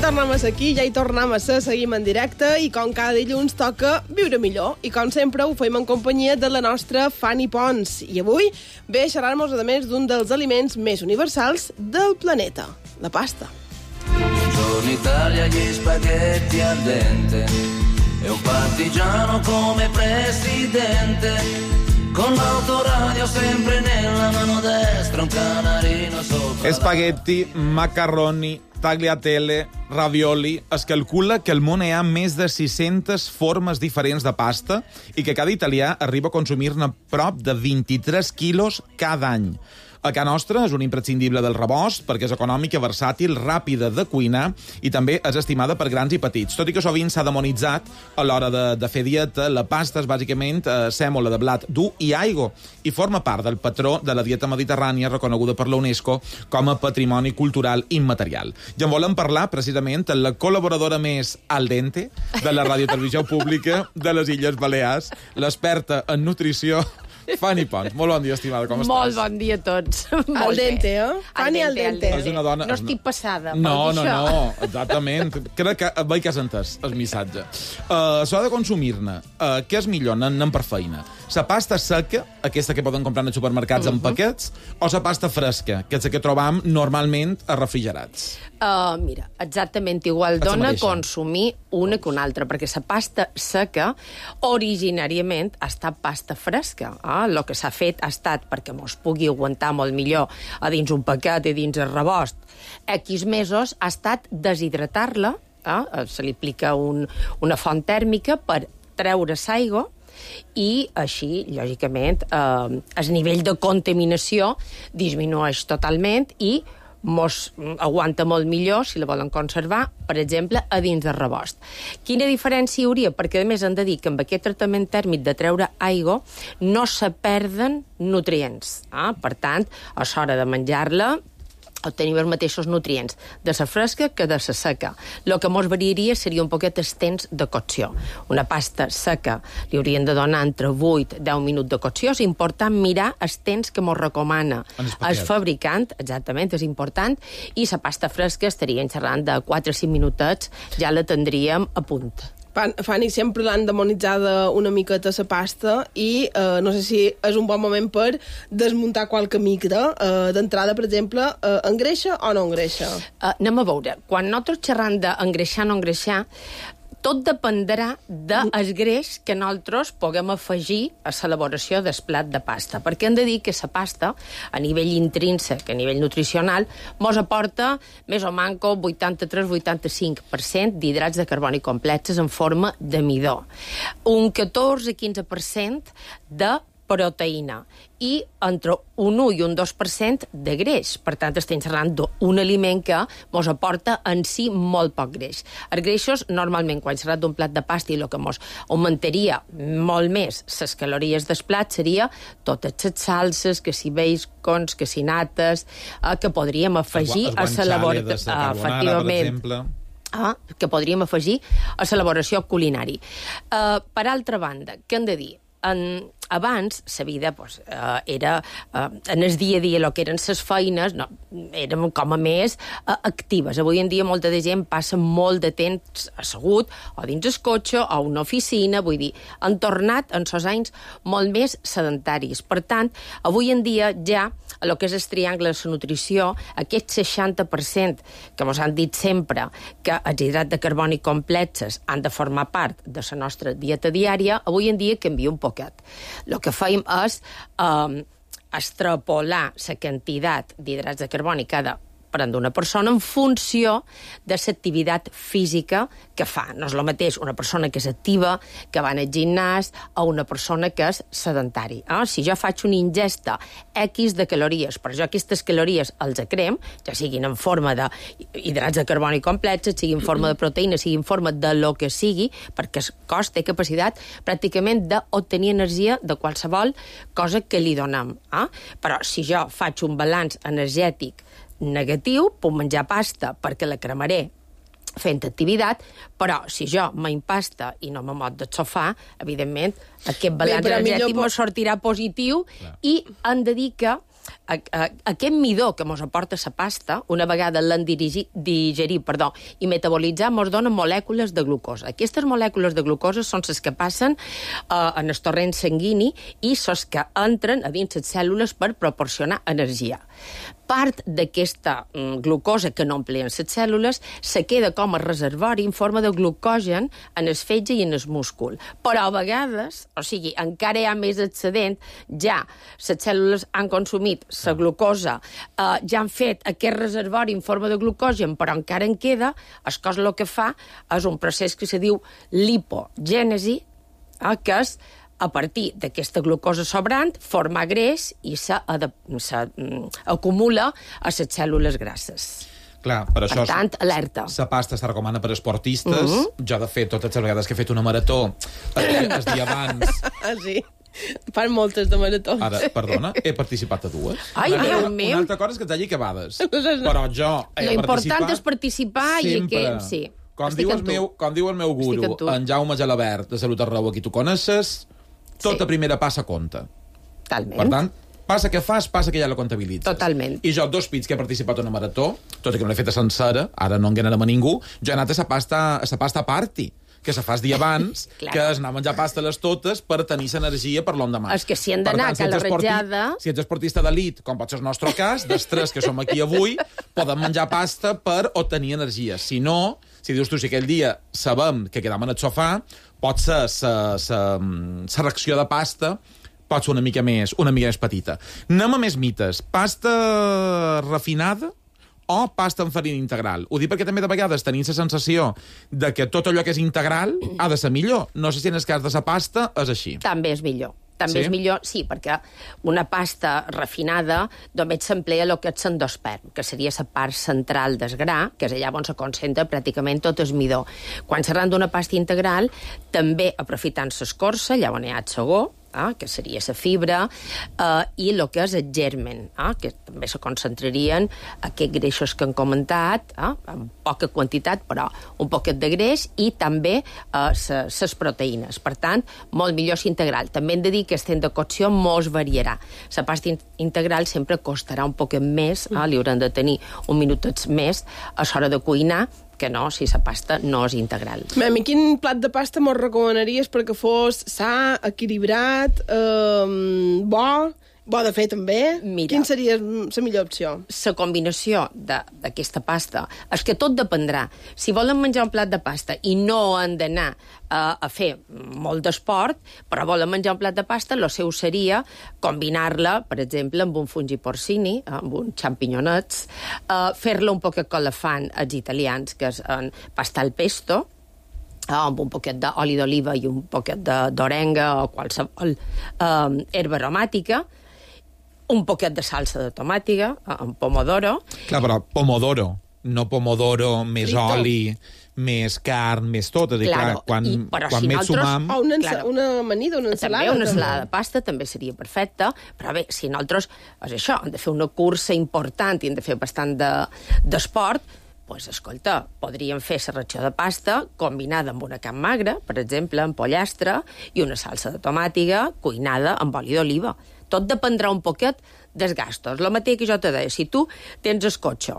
Tornem a ser aquí, ja hi tornem a ser, seguim en directe i com cada dilluns toca viure millor i com sempre ho fem en companyia de la nostra Fanny Pons i avui ve a xerrar-nos a més d'un dels aliments més universals del planeta, la pasta. Buongiorno Italia, gli spaghetti al dente e un partigiano come presidente con l'autoradio sempre nella mano destra un canarino sopra. Spaghetti, macarroni, tagliatelle, ravioli. Es calcula que al món hi ha més de sis-centes formes diferents de pasta i que cada italià arriba a consumir-ne prop de vint-i-tres quilos cada any. A casa nostra és un imprescindible del rebost perquè és econòmica, versàtil, ràpida de cuinar i també és estimada per grans i petits. Tot i que sovint s'ha demonitzat a l'hora de, de fer dieta, la pasta és bàsicament eh, sèmola de blat dur i aigua i forma part del patró de la dieta mediterrània reconeguda per la UNESCO com a patrimoni cultural immaterial. I en volem parlar precisament amb la col·laboradora més al dente de la radiotelevisió pública de les Illes Balears, l'experta en nutrició, Fanny Pons. Molt bon dia, estimada, com estàs? Molt bon dia a tots. Al dente, eh? Fanny al dente. És una dona... No estic passada. No, no, no, exactament. Crec que veig que has entès el missatge. Uh, S'ha de consumir-ne. Uh, què és millor? Anem per feina. La pasta seca, aquesta que poden comprar als supermercats uh -huh. en paquets, o la pasta fresca, que és la que trobam normalment a refrigerats? Uh, mira, exactament igual dona consumir una que una altra, perquè la pasta seca originàriament ha estat pasta fresca. Eh? El que s'ha fet ha estat perquè mos pugui aguantar molt millor a dins un paquet i dins el rebost. X mesos ha estat deshidratar-la, eh? Se li aplica un, una font tèrmica per treure l'aigua i així, lògicament, eh, el nivell de contaminació disminueix totalment i mos aguanta molt millor, si la volen conservar, per exemple, a dins del rebost. Quina diferència hi hauria? Perquè, a més, hem de dir que amb aquest tractament tèrmic de treure aigua no se perden nutrients. Eh? Per tant, a l'hora de menjar-la, obtenir els mateixos nutrients de la fresca que de la seca. El que mos variaria seria un poquet el temps de cocció. Una pasta seca li haurien de donar entre vuit a deu minuts de cocció. És important mirar el temps que mos recomana el fabricant, exactament, és important, i la pasta fresca estaríem xerrant de quatre a cinc minutets, ja la tindríem a punt. Fanny, sempre l'han demonitzada una miqueta la pasta i eh, no sé si és un bon moment per desmuntar qualque micro. Eh, D'entrada, per exemple, eh, engreixa o no engreixa? Uh, anem a veure. Quan nosaltres xerram d'engreixar o no engreixar, tot dependrà del greix que nosaltres puguem afegir a l'elaboració del plat de pasta. Perquè hem de dir que la pasta, a nivell intrínsec, a nivell nutricional, mos aporta més o manco vuitanta-tres a vuitanta-cinc per cent d'hidrats de carboni complexes en forma de midó. Un catorze a quinze per cent de proteïna i entre un u i un dos per cent de greix. Per tant, estem parlant d'un aliment que mos aporta en si molt poc greix. Els greixos, normalment, quan s'ha d'un plat de pasta i el que mos augmentaria molt més les calories del plat seria totes les salses, que si bacons, que si nates, eh, que podríem afegir a l'elaboració. Efectivament. Ah, que podríem afegir a l'elaboració culinària. Uh, per altra banda, què hem de dir? En, abans, la vida pues, eh, era, eh, en el dia a dia, el que eren les feines, no, érem com a més eh, actives. Avui en dia molta de gent passa molt de temps assegut, o dins el cotxe, o a una oficina, vull dir, han tornat en sos anys molt més sedentaris. Per tant, avui en dia ja a lo que és el triangle de la nutrició, aquest seixanta per cent que ens han dit sempre que els hidrats de carboni complexes han de formar part de la nostra dieta diària, avui en dia canvia un poquet. El que fem és eh, extrapolar la quantitat d'hidrats de carboni cada prendre una persona en funció de l'activitat física que fa. No és el mateix una persona que és activa, que va al gimnàs, o una persona que és sedentari. Eh? Si jo faig una ingesta X de calories, però jo aquestes calories els crem, ja siguin en forma d'hidrats de carboni complexes, sigui en forma de proteïna, sigui en forma de lo que sigui, perquè el cos té capacitat pràcticament d'obtenir energia de qualsevol cosa que li donem. Eh? Però si jo faig un balanç energètic negatiu, puc menjar pasta perquè la cremaré fent activitat, però si jo m'impasta i no me mot del sofà, evidentment, aquest balanç Bé, energètic millor... me sortirà positiu. Clar. I han de dir que a, a, aquest midó que ens aporta la pasta, una vegada l'han digerir perdó, i metabolitzar, ens dona molècules de glucosa. Aquestes molècules de glucosa són les que passen uh, en el torrent sanguini i són les que entren a dins les cèl·lules per proporcionar energia. Part d'aquesta mm, glucosa que no empleen les cèl·lules se queda com a reservori en forma de glucogen en el fetge i en el múscul. Però a vegades, o sigui, encara hi ha més excedent, ja les cèl·lules han consumit la glucosa, eh, ja han fet aquest reservori en forma de glucogen, però encara en queda, el cos el que fa és un procés que se diu lipogènesi, eh, que és a partir d'aquesta glucosa sobrant, formar greix i s'acumula a les cèl·lules grasses. Clar, per això... Per tant, alerta. La pasta es recomana per a esportistes. Mm-hmm. Jo, de fet, totes les vegades que he fet una marató, el dia abans... Ah, sí. Fan moltes de maratons. Ara, perdona, he participat a dues. Ai, una, Déu una, meu. Una altra cosa és que t'hagi acabades. Però jo he Lo important participat és participar i que... Sí. Com diu, el meu, com diu el meu guru, en Jaume Gelabert, de Salut Arreu, aquí tu coneixes, tota sí. Primera passa compta. Totalment. Per tant, passa que fas, passa que ja la comptabilitzes. Totalment. I jo, dos pits que he participat en una marató, tot i que no l'he feta sencera, ara no enganarem a ningú, jo he anat a la pasta, a la pasta party, que se fas dia abans, claro. Que és anar a menjar pasta a les totes per tenir l'energia per l'endemà. És que si han d'anar a la ratjada... Si ets esportista d'elit, com pot ser el nostre cas, dels tres que som aquí avui, podem menjar pasta per obtenir energia. Si no, si dius tu, si aquell dia sabem que quedam en el sofà, pot ser la reacció de pasta pot ser una mica més, una mica més petita. Anem a més mites. Pasta refinada o pasta amb farina integral? Ho dic perquè també de vegades tenim la sensació de que tot allò que és integral ha de ser millor. No sé si en el cas de la pasta és així. També és millor. També sí? és millor, sí, perquè una pasta refinada només s'emplea el que és l'endosperm, que seria la part central del gra, que és allà on se concentra pràcticament tot el midó. Quan s'arran d'una pasta integral, també aprofitant l'escorça, allà on hi ha el segó, eh, que seria la fibra, eh, i el que és el germen, eh, que també se concentrarien aquests greixos que han comentat, eh, en poca quantitat, però un poquet de greix, i també les eh, proteïnes. Per tant, molt millor si integral. També hem de dir que el temps de cocció mos variarà. La pasta in integral sempre costarà un poquet més, eh, li hauran de tenir un minutet més a l'hora de cuinar, que no, si la pasta no és integral. A mi quin plat de pasta mos recomanaries perquè fos sa, equilibrat, eh, bo, bo de fer també? Mira, quin seria la millor opció? La combinació d'aquesta pasta és que tot dependrà. Si volen menjar un plat de pasta i no han d'anar a, a fer molt d'esport, però volen menjar un plat de pasta, el seu seria combinar-la, per exemple, amb un fungi porcini, amb uns xampinyonets, eh, fer-la un poquet com la fan els italians, que és en pasta al pesto, eh, amb un poquet d'oli d'oliva i un poquet d'orenga o qualsevol eh, herba aromàtica, un poquet de salsa de tomàtiga, amb pomodoro. Clar, però pomodoro, no pomodoro, més Frito. oli, més carn, més tot. És a dir, claro. clar, quan, I, però quan si més nosaltres... sumam... O una, claro. una amanida, una ensalada. També una ensalada de pasta també seria perfecta, però bé, si nosaltres, és això, hem de fer una cursa important i hem de fer bastant d'esport, de, pues, escolta, podríem fer la ratxa de pasta combinada amb una carn magra, per exemple, amb pollastre, i una salsa de tomàtiga cuinada amb oli d'oliva. Tot dependrà un poquet dels gastos. El mateix que jo te deia, si tu tens el cotxe,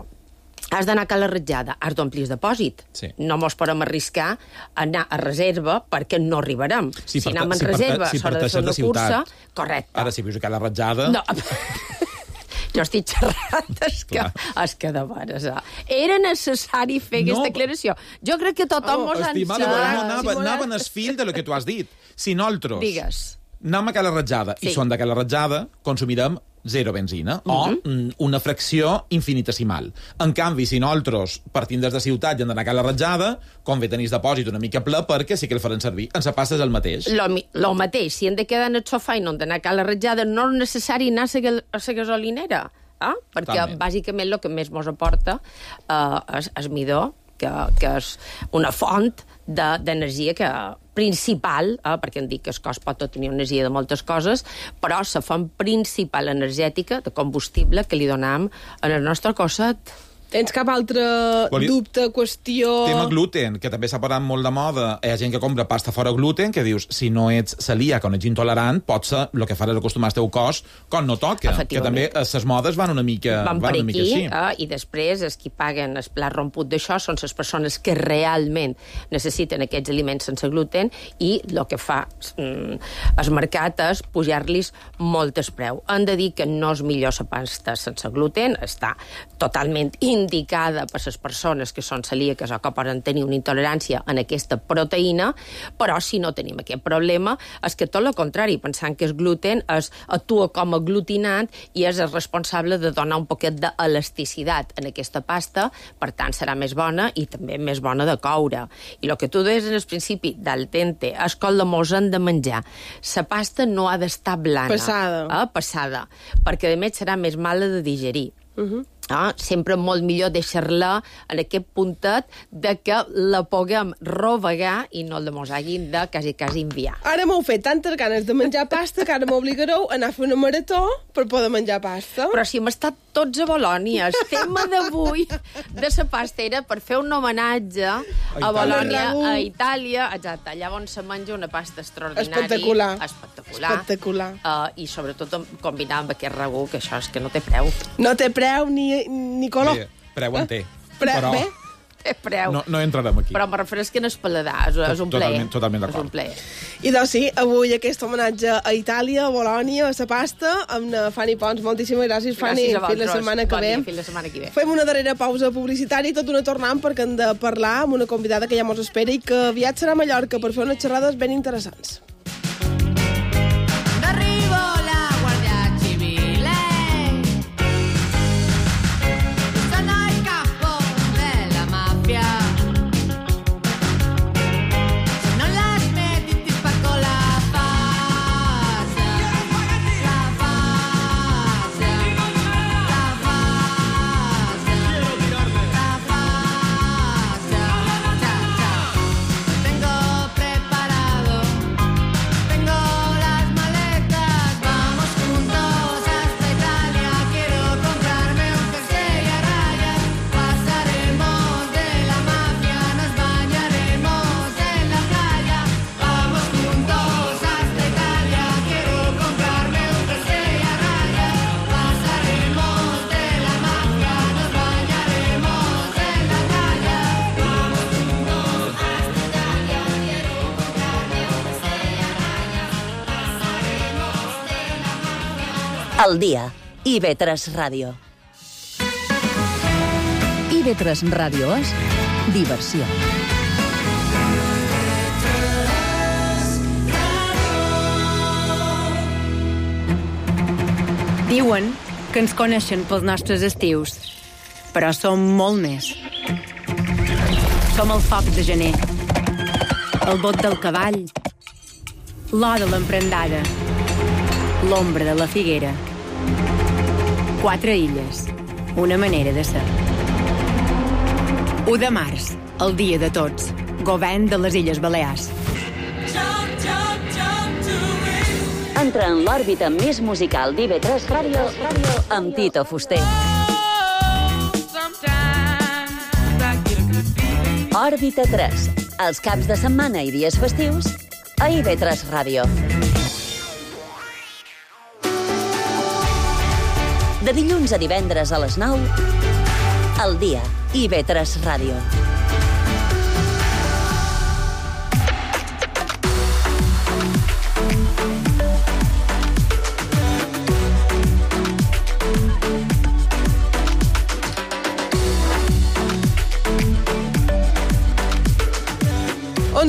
has d'anar a la ratjada, has d'omplir el depòsit. Sí. No mos podem arriscar a anar a reserva perquè no arribarem. Sí, si per, anem en si reserva, si s'ha de fer una cursa... Correcte. Ara, si vius a la ratjada... No. Jo estic xerrant, és que, és que de veres, eh? Era necessari fer no, aquesta declaració. Jo crec que tothom mos oh, en sap. No, anava, anava en el fil de lo que tu has dit. Si nosaltres Digues. anem a Cala Ratjada sí. i són de Cala Ratjada, consumirem zero benzina, mm-hmm. o una fracció infinitesimal. En canvi, si nosaltres partim des de ciutat i hem d'anar a Cala Ratjada, convé tenir el depòsit una mica ple perquè sí que el faran servir. En la pasta és el mateix. Lo, lo mateix. Si hem de quedar en el sofà i no hem d'anar a Cala Ratjada, no és necessari anar a la gasolinera, eh? perquè Totalment. bàsicament el que més mos aporta eh, és, és midó, que, que és una font d'energia que principal, eh, perquè em dic que el cos pot tenir energia de moltes coses, però la font principal energètica de combustible que li donam en el nostre cosset. Tens cap altre Voli... dubte, qüestió... Tema gluten, que també s'ha parlat molt de moda. Hi ha gent que compra pasta fora gluten, que dius, si no ets celíac o no ets intolerant, pot ser el que faràs acostumar el teu cos quan no toca. Que també les modes van una mica, van van per una aquí, mica així. Eh, i després els qui paguen el plat romput d'això són les persones que realment necessiten aquests aliments sense gluten i el que fa mm, el mercat és pujar-los molt el preu. Han de dir que no és millor la pasta sense gluten, està totalment indicada per les persones que són celíaques o que poden tenir una intolerància en aquesta proteïna, però si no tenim aquest problema, és que tot el contrari, pensant que el gluten es, actua com a aglutinant i és el responsable de donar un poquet d'elasticitat en aquesta pasta, per tant serà més bona i també més bona de coure. I el que tu deies en el principi del dente, és que la mos hem de menjar. La pasta no ha d'estar blana. Passada. Eh, passada, perquè a més serà més mala de digerir. Uh-huh. Ah, sempre molt millor deixar-la en aquest puntet de que la puguem rovegar i no la mos hagin de quasi, quasi enviar. Ara m'heu fet tantes ganes de menjar pasta que ara m'obligareu a anar a fer una marató per poder menjar pasta. Però si hem estat tots a Bolònia, el tema d'avui de la pasta era per fer un homenatge a, a Bolònia, a Itàlia, exacte, llavors se menja una pasta extraordinària. Espectacular. Espectacular. Espectacular. Uh, I sobretot combinar amb aquest ragú, que això és que no té preu. No té preu ni ni color. Bé, preu en té. Pre però bé? Té preu. No, no entrarem aquí. Però me refereix que no és paladar, és, és un plaer. Totalment, totalment d'acord. És un plaer. I doncs sí, avui aquest homenatge a Itàlia, a Bolònia, a la pasta, amb Fanny Pons. Moltíssimes gràcies, Fanny. Gràcies a vosaltres. Fins la setmana que bon ve. Dia, fins la setmana que ve. Fem una darrera pausa publicitària i tot una tornant perquè hem de parlar amb una convidada que ja mos espera i que aviat serà a Mallorca per fer unes xerrades ben interessants. Al dia, I V tres Ràdio. I V tres Ràdio és diversió. Diuen que ens coneixen pels nostres estius, però som molt més. Som el foc de gener, el bot del cavall, l'or de l'emprendada, l'ombra de la figuera. Quatre illes, una manera de ser. u de març, el dia de tots, govern de les Illes Balears. Entra en l'òrbita més musical d'I V tres Ràdio amb Tito Fuster. Òrbita tres, els caps de setmana i dies festius a I V tres Ràdio. De dilluns a divendres a les nou, al dia, I V tres Ràdio.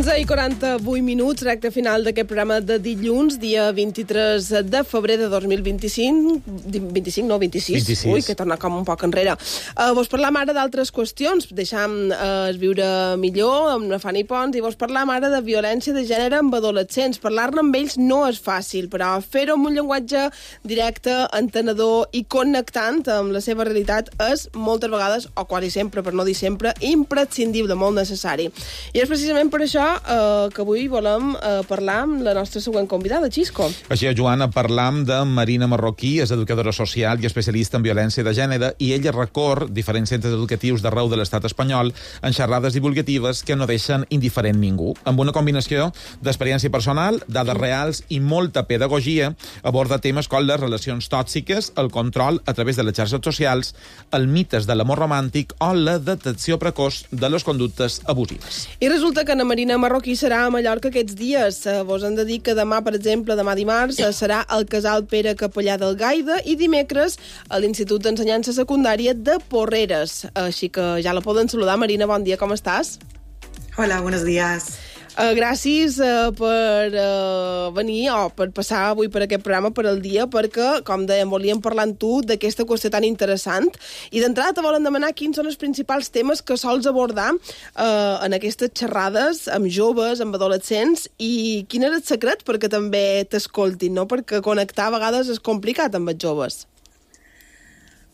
onze i quaranta-vuit minuts, recte final d'aquest programa de dilluns, dia vint-i-tres de febrer de dos mil vint-i-cinc. vint-i-cinc, no, vint-i-sis. vint-i-sis. Ui, que torna com un poc enrere. Uh, vos parlam ara d'altres qüestions. Deixam uh, viure millor amb la Fanny Pons i vos parlam ara de violència de gènere amb adolescents. Parlar-ne amb ells no és fàcil, però fer-ho amb un llenguatge directe, entenedor i connectant amb la seva realitat és moltes vegades, o quasi sempre, per no dir sempre, imprescindible, molt necessari. I és precisament per això eh, que avui volem eh, parlar amb la nostra següent convidada, Xisco. Així és, Joana, parlam de Marina Marroquí, és educadora social i especialista en violència de gènere, i ella recor diferents centres educatius d'arreu de l'estat espanyol en xerrades divulgatives que no deixen indiferent ningú. Amb una combinació d'experiència personal, dades reals i molta pedagogia, aborda temes com les relacions tòxiques, el control a través de les xarxes socials, el mites de l'amor romàntic o la detecció precoç de les conductes abusives. I resulta que Ana Marina Marroquí serà a Mallorca aquests dies. Vos hem de dir que demà, per exemple, demà dimarts, serà al Casal Pere Capellà del Gaida i dimecres a l'Institut d'Ensenyança Secundària de Porreres. Així que ja la poden saludar. Marina, bon dia, com estàs? Hola, buenos días. Uh, gràcies uh, per uh, venir o per passar avui per aquest programa per al dia, perquè, com dèiem, volíem parlar amb tu d'aquesta qüestió tan interessant. I d'entrada te volen demanar quins són els principals temes que sols abordar uh, en aquestes xerrades amb joves, amb adolescents, i quin és el secret perquè també t'escoltin, no? Perquè connectar a vegades és complicat amb els joves.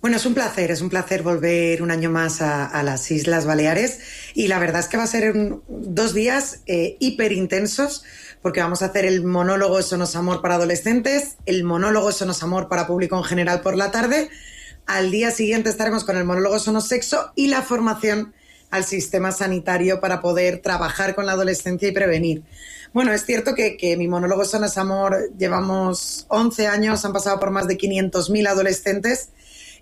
Bueno, es un placer, es un placer volver un año más a, a las Islas Baleares y la verdad es que va a ser un, dos días eh, hiper intensos porque vamos a hacer el monólogo Eso no es amor para adolescentes, el monólogo Eso no es amor para público en general por la tarde, al día siguiente estaremos con el monólogo Eso no es sexo y la formación al sistema sanitario para poder trabajar con la adolescencia y prevenir. Bueno, es cierto que, que mi monólogo Eso no es amor, llevamos once años, han pasado por más de quinientos mil adolescentes.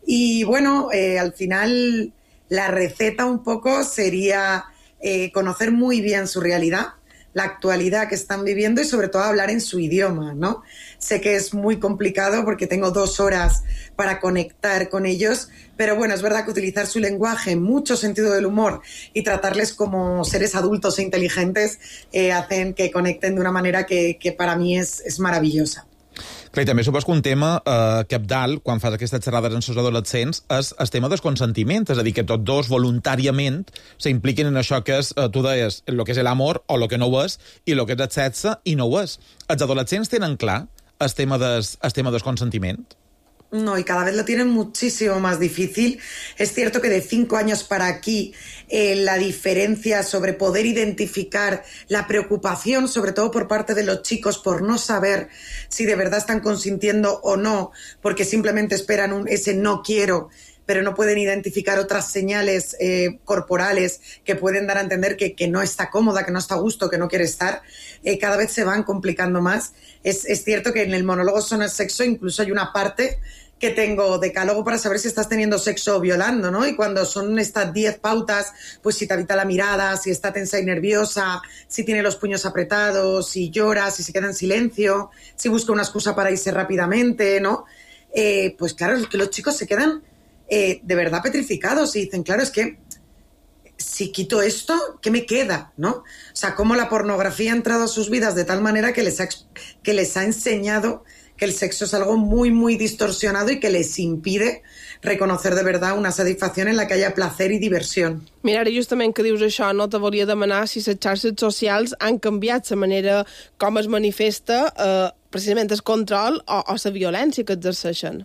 Y bueno, eh, al final la receta un poco sería eh, conocer muy bien su realidad, la actualidad que están viviendo y sobre todo hablar en su idioma, ¿no? Sé que es muy complicado porque tengo dos horas para conectar con ellos, pero bueno, es verdad que utilizar su lenguaje, mucho sentido del humor y tratarles como seres adultos e inteligentes eh, hacen que conecten de una manera que, que para mí es, es maravillosa. Clar, i també supos que un tema eh, cabdal, quan fas aquestes xerrades amb els adolescents, és el tema del consentiment, és a dir, que tots dos voluntàriament s'impliquen en això que és, eh, tu deies, el que és l'amor o el que no ho és, i el que és el sexe i no ho és. Els adolescents tenen clar el tema des, el tema del consentiment? No, y cada vez lo tienen muchísimo más difícil. Es cierto que de cinco años para aquí eh, la diferencia sobre poder identificar la preocupación, sobre todo por parte de los chicos, por no saber si de verdad están consintiendo o no, porque simplemente esperan un, ese no quiero, pero no pueden identificar otras señales eh, corporales que pueden dar a entender que, que no está cómoda, que no está a gusto, que no quiere estar, eh, cada vez se van complicando más. Es, es cierto que en el monólogo Eso no es sexo incluso hay una parte que tengo decálogo para saber si estás teniendo sexo o violando, ¿no? Y cuando son estas diez pautas, pues si te habita la mirada, si está tensa y nerviosa, si tiene los puños apretados, si llora, si se queda en silencio, si busca una excusa para irse rápidamente, ¿no? Eh, pues claro, es que los chicos se quedan eh, de verdad petrificados y dicen, claro, es que si quito esto, ¿qué me queda? ¿No? O sea, cómo la pornografía ha entrado a sus vidas de tal manera que les ha, que les ha enseñado que el sexo es algo muy, muy distorsionado y que les impide reconocer de verdad una satisfacción en la que haya placer y diversión. Mira, ara justament que dius això, no te volia demanar si les xarxes socials han canviat la manera com es manifesta eh, precisament el control o, o la violència que exerceixen.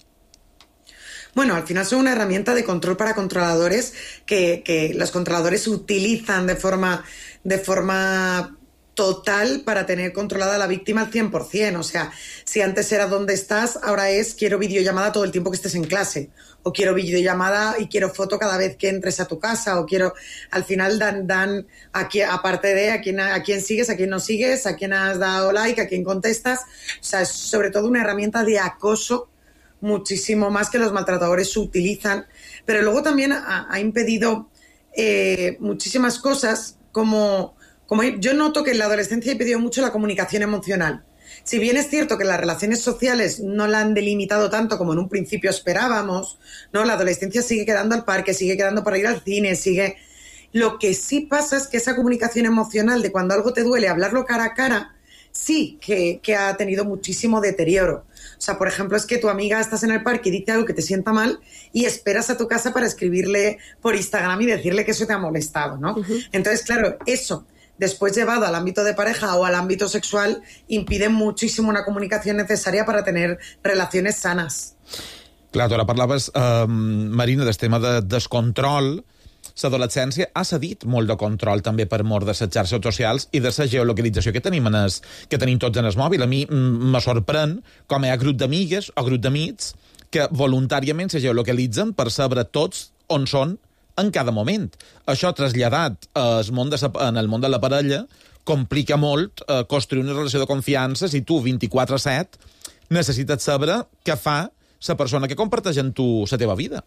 Bueno, al final son una herramienta de control para controladores que, que los controladores utilizan de forma, de forma total para tener controlada a la víctima al cien por ciento. O sea, si antes era ¿dónde estás?, ahora es quiero videollamada todo el tiempo que estés en clase, o quiero videollamada y quiero foto cada vez que entres a tu casa, o quiero... Al final dan, dan aquí, aparte de a quién, a quién sigues, a quién no sigues, a quién has dado like, a quién contestas. O sea, es sobre todo una herramienta de acoso muchísimo más que los maltratadores utilizan, pero luego también ha, ha impedido eh, muchísimas cosas, como, como yo noto que en la adolescencia ha impedido mucho la comunicación emocional. Si bien es cierto que las relaciones sociales no la han delimitado tanto como en un principio esperábamos, ¿no? La adolescencia sigue quedando al parque, sigue quedando para ir al cine, sigue... Lo que sí pasa es que esa comunicación emocional de cuando algo te duele, hablarlo cara a cara, sí que, que ha tenido muchísimo deterioro. O sea, por ejemplo, es que tu amiga estás en el parque y dice algo que te sienta mal y esperas a tu casa para escribirle por Instagram y decirle que eso te ha molestado, ¿no? Uh-huh. Entonces, claro, eso, después llevado al ámbito de pareja o al ámbito sexual, impide muchísimo una comunicación necesaria para tener relaciones sanas. Clar, tu ara parlaves, eh, Marina, del tema de descontrol. L'adolescència ha cedit molt de control també per mort de les xarxes socials i de la geolocalització que tenim, en es, que tenim tots en el mòbil. A mi me sorprèn com hi ha grup d'amigues o grup d'amics que voluntàriament se geolocalitzen per saber tots on són en cada moment. Això traslladat al món de, en el món de la parella complica molt eh, construir una relació de confiança si tu vint-i-quatre set necessites saber què fa la persona que comparteix amb tu la teva vida.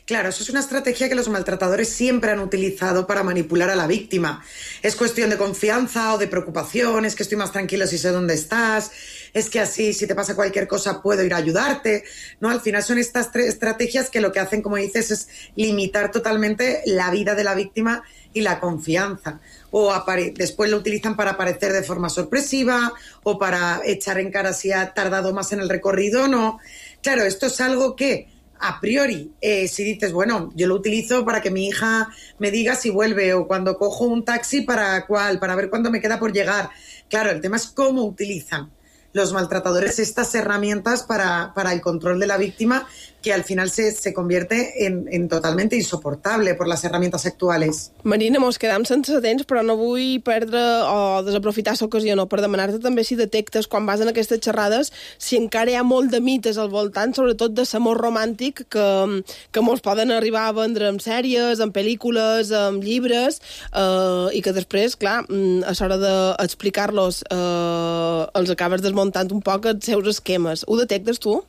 Claro, eso es una estrategia que los maltratadores siempre han utilizado para manipular a la víctima. Es cuestión de confianza o de preocupación, es que estoy más tranquilo si sé dónde estás, es que así si te pasa cualquier cosa puedo ir a ayudarte, ¿no? Al final son estas tres estrategias que lo que hacen, como dices, es limitar totalmente la vida de la víctima y la confianza. O apare- después lo utilizan para aparecer de forma sorpresiva o para echar en cara si ha tardado más en el recorrido o no. Claro, esto es algo que a priori, eh, si dices, bueno, yo lo utilizo para que mi hija me diga si vuelve, o cuando cojo un taxi para cuál, para ver cuándo me queda por llegar. Claro, el tema es cómo utilizan los maltratadores estas herramientas para, para el control de la víctima, que al final se, se convierte en, en totalmente insoportable por las herramientas actuales. Marina, mos quedam sense temps, però no vull perdre o desaprofitar l'ocasió no, per demanar-te també si detectes, quan vas en aquestes xerrades, si encara hi ha molt de mites al voltant, sobretot de l'amor romàntic, que, que mos poden arribar a vendre en sèries, en pel·lícules, en llibres, eh, i que després, clar, a l'hora d'explicar-los eh, els acabes desmuntant un poc els seus esquemes. Ho detectes tu?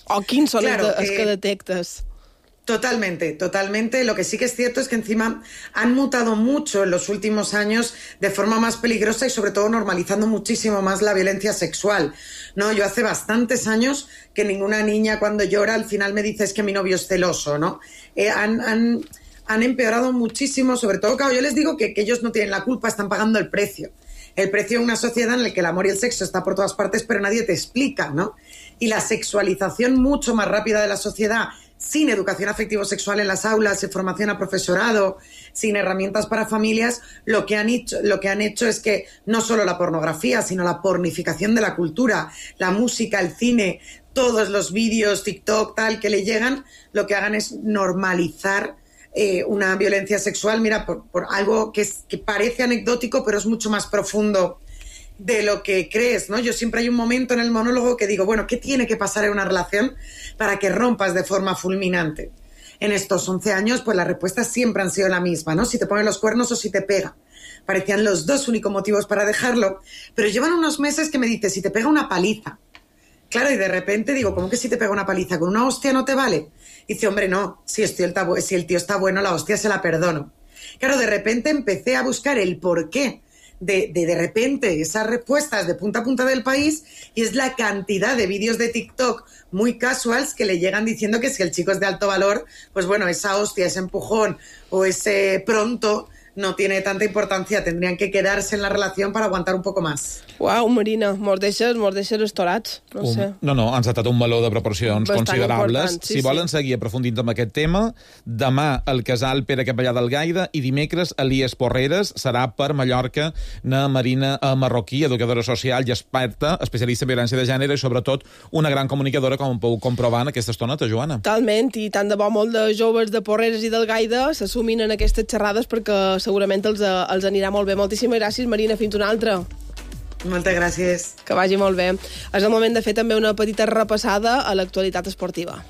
¿O quién son claro, los eh, que detectas? Totalmente, totalmente. Lo que sí que es cierto es que encima han mutado mucho en los últimos años de forma más peligrosa y sobre todo normalizando muchísimo más la violencia sexual. No, yo hace bastantes años que ninguna niña cuando llora al final me dice es que mi novio es celoso, ¿no? Eh, han, han, han empeorado muchísimo, sobre todo, claro, yo les digo que, que ellos no tienen la culpa, están pagando el precio. El precio de una sociedad en la que el amor y el sexo está por todas partes, pero nadie te explica, ¿no? Y la sexualización mucho más rápida de la sociedad, sin educación afectivo-sexual en las aulas, sin formación a profesorado, sin herramientas para familias, lo que han hecho, lo que han hecho es que no solo la pornografía, sino la pornificación de la cultura, la música, el cine, todos los vídeos, TikTok, tal, que le llegan, lo que hagan es normalizar Eh, una violencia sexual, mira, por, por algo que, es, que parece anecdótico, pero es mucho más profundo de lo que crees, ¿no? Yo siempre hay un momento en el monólogo que digo, bueno, ¿qué tiene que pasar en una relación para que rompas de forma fulminante? En estos once años, pues las respuestas siempre han sido la misma, ¿no? Si te ponen los cuernos o si te pega. Parecían los dos únicos motivos para dejarlo, pero llevan unos meses que me dice, si te pega una paliza. Claro, y de repente digo, ¿cómo que si te pega una paliza? ¿Con una hostia no te vale? Dice, hombre, no, si el tío está, si el tío está bueno, la hostia se la perdono. Claro, de repente empecé a buscar el porqué de, de de repente esas respuestas de punta a punta del país, y es la cantidad de vídeos de TikTok muy casuals que le llegan diciendo que si el chico es de alto valor, pues bueno, esa hostia, ese empujón o ese pronto no tiene tanta importancia, tendrían que quedarse en la relación para aguantar un poco más. Uau, Marina, mos deixes, mos deixes estorats, no un, sé. No, no, han saltat un meló de proporcions bastant considerables. Sí, si volen sí. seguir aprofundint amb aquest tema, demà el casal Pere Capellà del Gaida i dimecres Elies Porreres serà per Mallorca na Marina Marroquí, educadora social i experta, especialista en violència de gènere i sobretot una gran comunicadora, com puc comprovar en aquesta estoneta, Joana. Totalment, i tant de bo molt de joves de Porreres i del Gaida s'assumin en aquestes xerrades perquè segurament els, els anirà molt bé. Moltíssimes gràcies, Marina. Fins una altra. Moltes gràcies. Que vagi molt bé. És el moment de fer també una petita repassada a l'actualitat esportiva.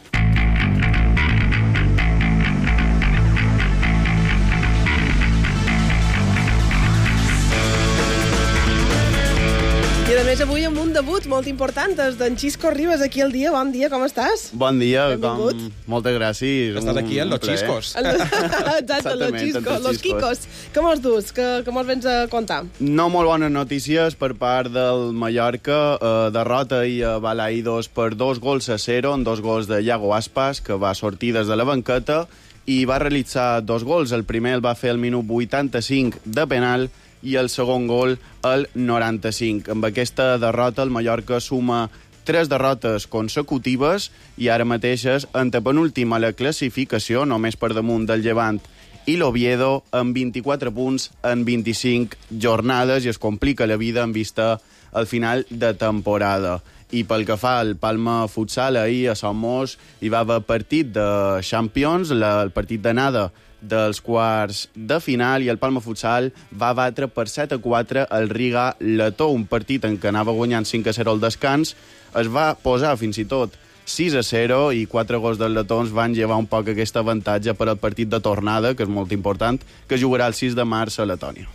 I a més avui amb un debut molt important, és d'en Xisco Ribas aquí al dia. Bon dia, com estàs? Bon dia, benvingut. com... moltes gràcies. Estàs aquí en Los Xiscos. Exacte, Los Xiscos, Los Quicos. Què mos dus? Què, què mos vens a contar? No molt bones notícies per part del Mallorca. Eh, derrota i a Balaïdos per dos gols a zero, en dos gols de Iago Aspas, que va sortir des de la banqueta, i va realitzar dos gols. El primer el va fer al minut vuitanta-cinc de penal i el segon gol al noranta-cinc. Amb aquesta derrota el Mallorca suma tres derrotes consecutives i ara mateix és antepenúltim a la classificació, només per damunt del Llevant i l'Oviedo, amb vint-i-quatre punts en vint-i-cinc jornades, i es complica la vida en vista al final de temporada. I pel que fa al Palma Futsal, ahir a Somos hi va haver partit de Champions, la, el partit d'anada dels quarts de final, i el Palma Futsal va batre per set a quatre el Riga Letó, un partit en què anava guanyant cinc a zero al descans. Es va posar fins i tot sis a zero i quatre gols dels letons van llevar un poc aquest avantatge per al partit de tornada, que és molt important, que jugarà el sis de març a Letònia.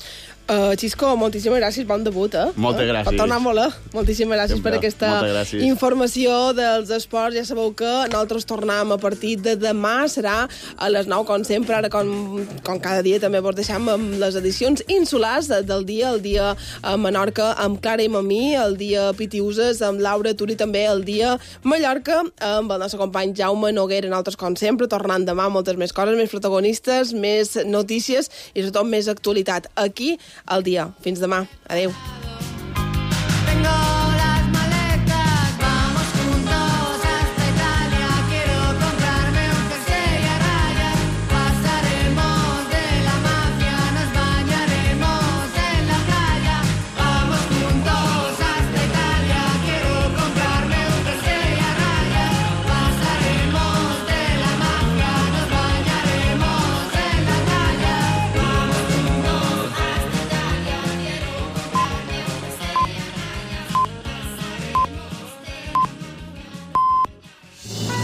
Uh, Xisco, moltíssimes gràcies, bon debut, eh? Moltes gràcies. Per tornar molt, eh? Moltíssimes gràcies Sempre. per aquesta informació dels esports. Ja sabeu que nosaltres tornem a partir de demà, serà a les nou, com sempre, ara com, com cada dia també vos deixem amb les edicions insulars del dia, el dia a Menorca amb Clara i Mamí, el dia Pitiuses amb Laura Turi, també el dia Mallorca amb el nostre company Jaume Noguera. Nosaltres, com sempre, tornant demà moltes més coses, més protagonistes, més notícies i sobretot més actualitat aquí al dia. Fins demà. Adéu.